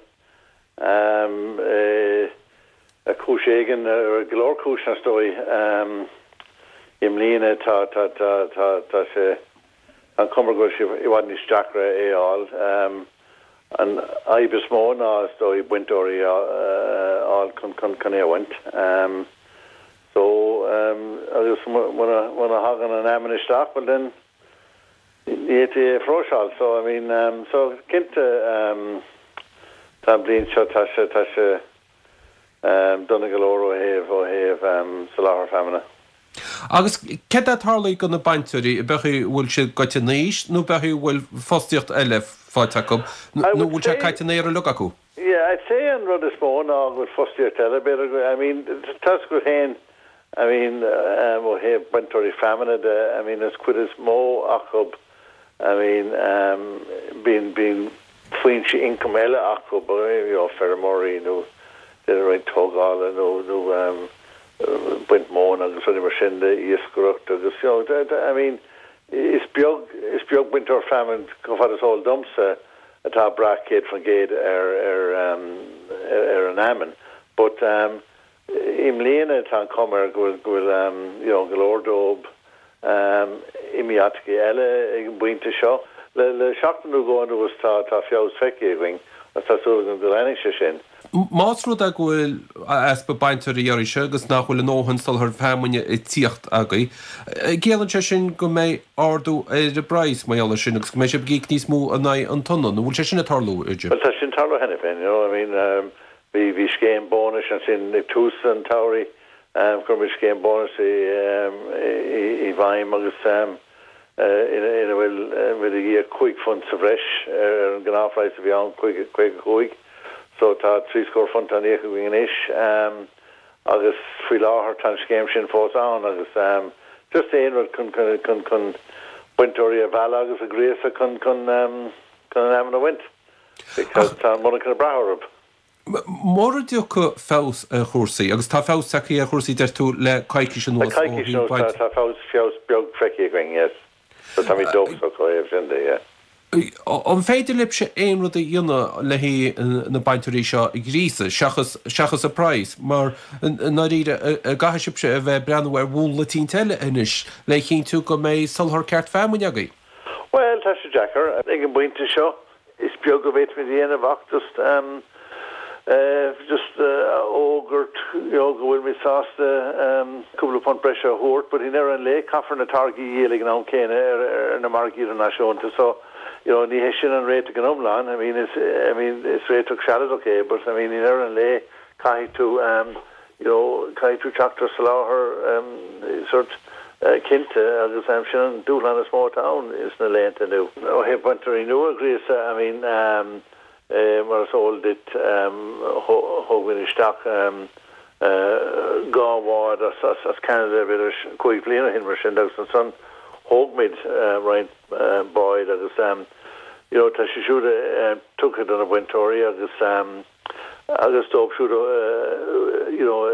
Ar chúis éigin, ar go leor cúiseanna is dóigh, i mbliana tá tá tá tá tá sé an chuma go bhfuil sé i bhfad níos deacra é a fháil. An fhadhb is mó ná is dóigh bainteoirí a fháil chun chun chun é a bhaint. So agus muna muna thagann an fheamainn isteach, well then ní fhéadfaí é a phróiseáil. So I mean so cinnte tá an bhliain seo tá sé tá sé dona go leor ó thaobh ó thaobh soláthar feamainne. Agus céard atá tarlaithe do na bainteoirí, ab é go bhfuil siad gaibhte in aois nó ab é go bhfuil fostaíocht eile faighte acu nó bhfuil sé caite in aer uilig acu? Yeah, I'd say an rud is mó ná go bhfuil fostaíocht eile, b'fhéidir, I mean, tá a fhios agat féin, I mean, ó thaobh bainteoirí feamainne de, I mean, is cuid is mó acu, I mean, bíonn bíonn foinse ioncaim eile acu, you know, feirmeoirí nó déanamh roinnt tógála nó nó baint móna agus rudaí mar sin de, iascaireacht agus, you know, I mean, is beag is beag bainteoir feamainn chomh fada is eol domsa atá ag brath céad faoin gcéad ar ar ar an fheamainn. But i mbliana tá an chuma air go bhfuil go bhfuil you know go leor dóibh imithe áiteacha eile ag an bpointe seo. Le le seachtain nó dhó anuas tá tá feabhas feicthe againn agus tá súil agam go leanfaidh sé sin. Más rud é go bhfuil easpa bainteoirí arís agus nach bhfuil a ndóthain soláthar feamainne ag tíocht agaibh, ciallaíonn sé sin go mbeidh ardú ar an bpraghas mar gheall air sin agus go mbeidh sibh ag íoc níos mó in aghaidh an tonna, nó bhfuil sé sin ag tarlú, a Jim? Bhuel tá sin ag tarlú cheana féin, you know, I mean bhí bhí scéim bónais ansin ag tús an tsamhraidh, chuir muid scéim bónais i i bhfeidhm agus ina bhfuil muid ag íoc cúig phunt sa bhreis ar an ngnáthphraghas a bhí ann, caoga a cúig. So tá trí scór punt á n-íoc againn anois agus faoi láthair tá an scéim sin fós ann agus just aon rud chun chun chun bainteoirí a mhealladh agus a ghríosadh chun chun chun an fheamainn a bhaint because tá an monarcha ag brath orthu. Mura dtiocfaidh feabhas ar chúrsaí, agus tá feabhas tagtha ar chúrsaí, deir tú, le coicís Le anuas ó coicís thaobh anuas baint. tá feabhas feabhas beag feicthe againn, yes. So táimid dóchasach ó thaobh sin de, yeah. An féidir libhse aon rud a dhéanamh le haghaidh na bainteoirí seo a ghríosadh, seachas seachas an praghas, mar i ndáiríre, an gcaithfidh sibhse a bheith ag breathnú ar mhúnla eicínt eile anois le chinntiú go mbeidh soláthar ceart feamainne agaibh? Bhuel, tá sé deacair. Ag an bpointe seo, is beag a bhféadfaimid a dhéanamh ach just just a fhógairt you know go bhfuilimid sásta cúpla punt breise a thabhairt but i ndeireadh an lae caithfear na táirgí a dhíol ag an am céanna ar ar na margaí idirnáisiúnta so you know ní hé sin an réiteach in iomlán I mean is I mean is réiteach sealadach é but I mean i ndeireadh an lae caithfidh tú you know caithfidh tú teacht ar soláthar sort cinnte agus sin an dúshlán is mó atá ann sna laethanta inniu. Ó thaobh bainteoirí nua a ghríosadh I mean mar is eol duit thóg muid isteach dhá bhád as Ceanada b'fhéidir cúig bliana ó shin mar sin agus ansan thóg muid roinnt báid agus You know, tá sé siúd tugtha do na bainteoirí agus agus dóibh siúd you know,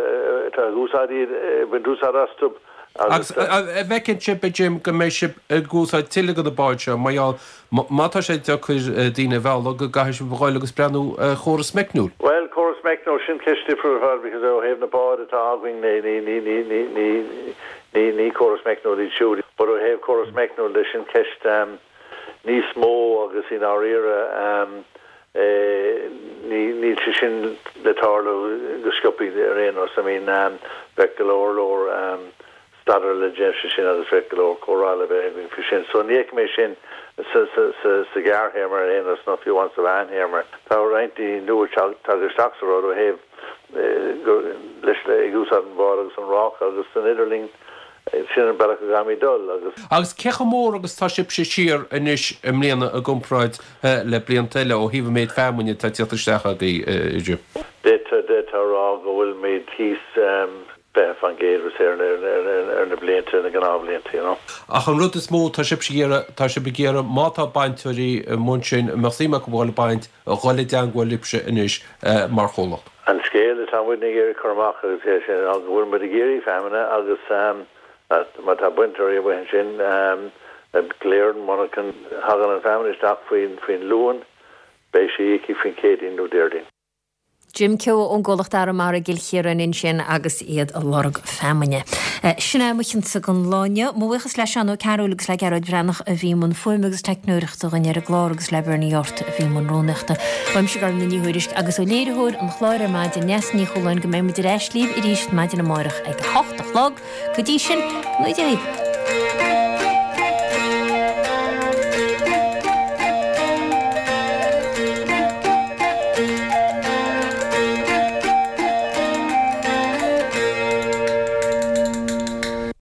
atá ag úsáid iad, ag baint úsáid astu agus. Agus an bhfeiceann sibh, a Jim, go mbeidh sibh ag úsáid tuilleadh de na báid seo mar gheall má tá sé deacair daoine a mhealladh go gcaithfidh sibh a ghoil agus breathnú ar chóras meicniúil? Bhuel, córas meicniúil, sin ceist difriúil ar fad because ó thaobh na báid atá againn ní, ní, ní, ní, ní, ní, ní, ní córas meicniúil iad siúd. But ó thaobh córas meicniúil de, sin ceist níos mó agus i ndáiríre níl sé sin le tarlú go sciobtha ar aon nós. I mean bheadh go leor leor staidéir le déanamh faoi sin agus bheadh go leor comhrá le bheith againn faoi sin. So ní fheicim é sin sa ghearrthéarma ar aon nós nó fiú amháin sa mheántéarma. Tá roinnt daoine nua tagtha isteach sa rud ó thaobh leis ag úsáid an bhád agus an ráca agus san idirlinn Sin an bealach a gcaithfimid dul agus. Agus cé chomh mór agus tá sibhse siar anois i mbliana i gcomparáid le blianta eile ó thaobh an méid feamainne atá ag tíocht isteach agaibh, a Jim? D'fhéadfá a rá go bhfuilimid thíos fiche faoin gcéad is ar na blianta, na gnáthbhlianta, you know. Ach an rud is mó, tá sibhse ag iarraidh, tá sibh ag iarraidh má tá bainteoirí amuigh ansin a mbeadh suim acu a dhul ag baint, a dhul i dteangmháil libhse anois mar chomhlacht. An scéal atá muidne ag iarraidh cur amach agus é sin ná go bhfuil muid ag iarraidh feamainne agus má tá bainteoirí amuigh ansin glaoigh ar an monarchan, thagann an fheamainn isteach faoin Luan, beidh sí íoctha faoin Chéadaoin nó Déardaoin. Jim Keogh ón gcomhlacht Arramara i gCill Chiaráin ansin agus iad ag lorg feamainne. Sin é mo chinnse don lá inniu. Mo bhuíochas le Seán Ó Cearúil agus le Gearóid Breathnach a bhí i mbun fuaime agus teicneoireachta dhúinn ar an gclár agus le Bernie Yortt a bhí i mbun rúnaíochta. Uaimse Gormfhlaith Ní Thuairisg agus ó léiritheoir an chláir ar maidin, Neasa Ní Chualáin go mbeidh muid ar ais libh arís maidin amárach ag a hocht a chlog. Go dtí sin, go ngnóthaí Dia libh.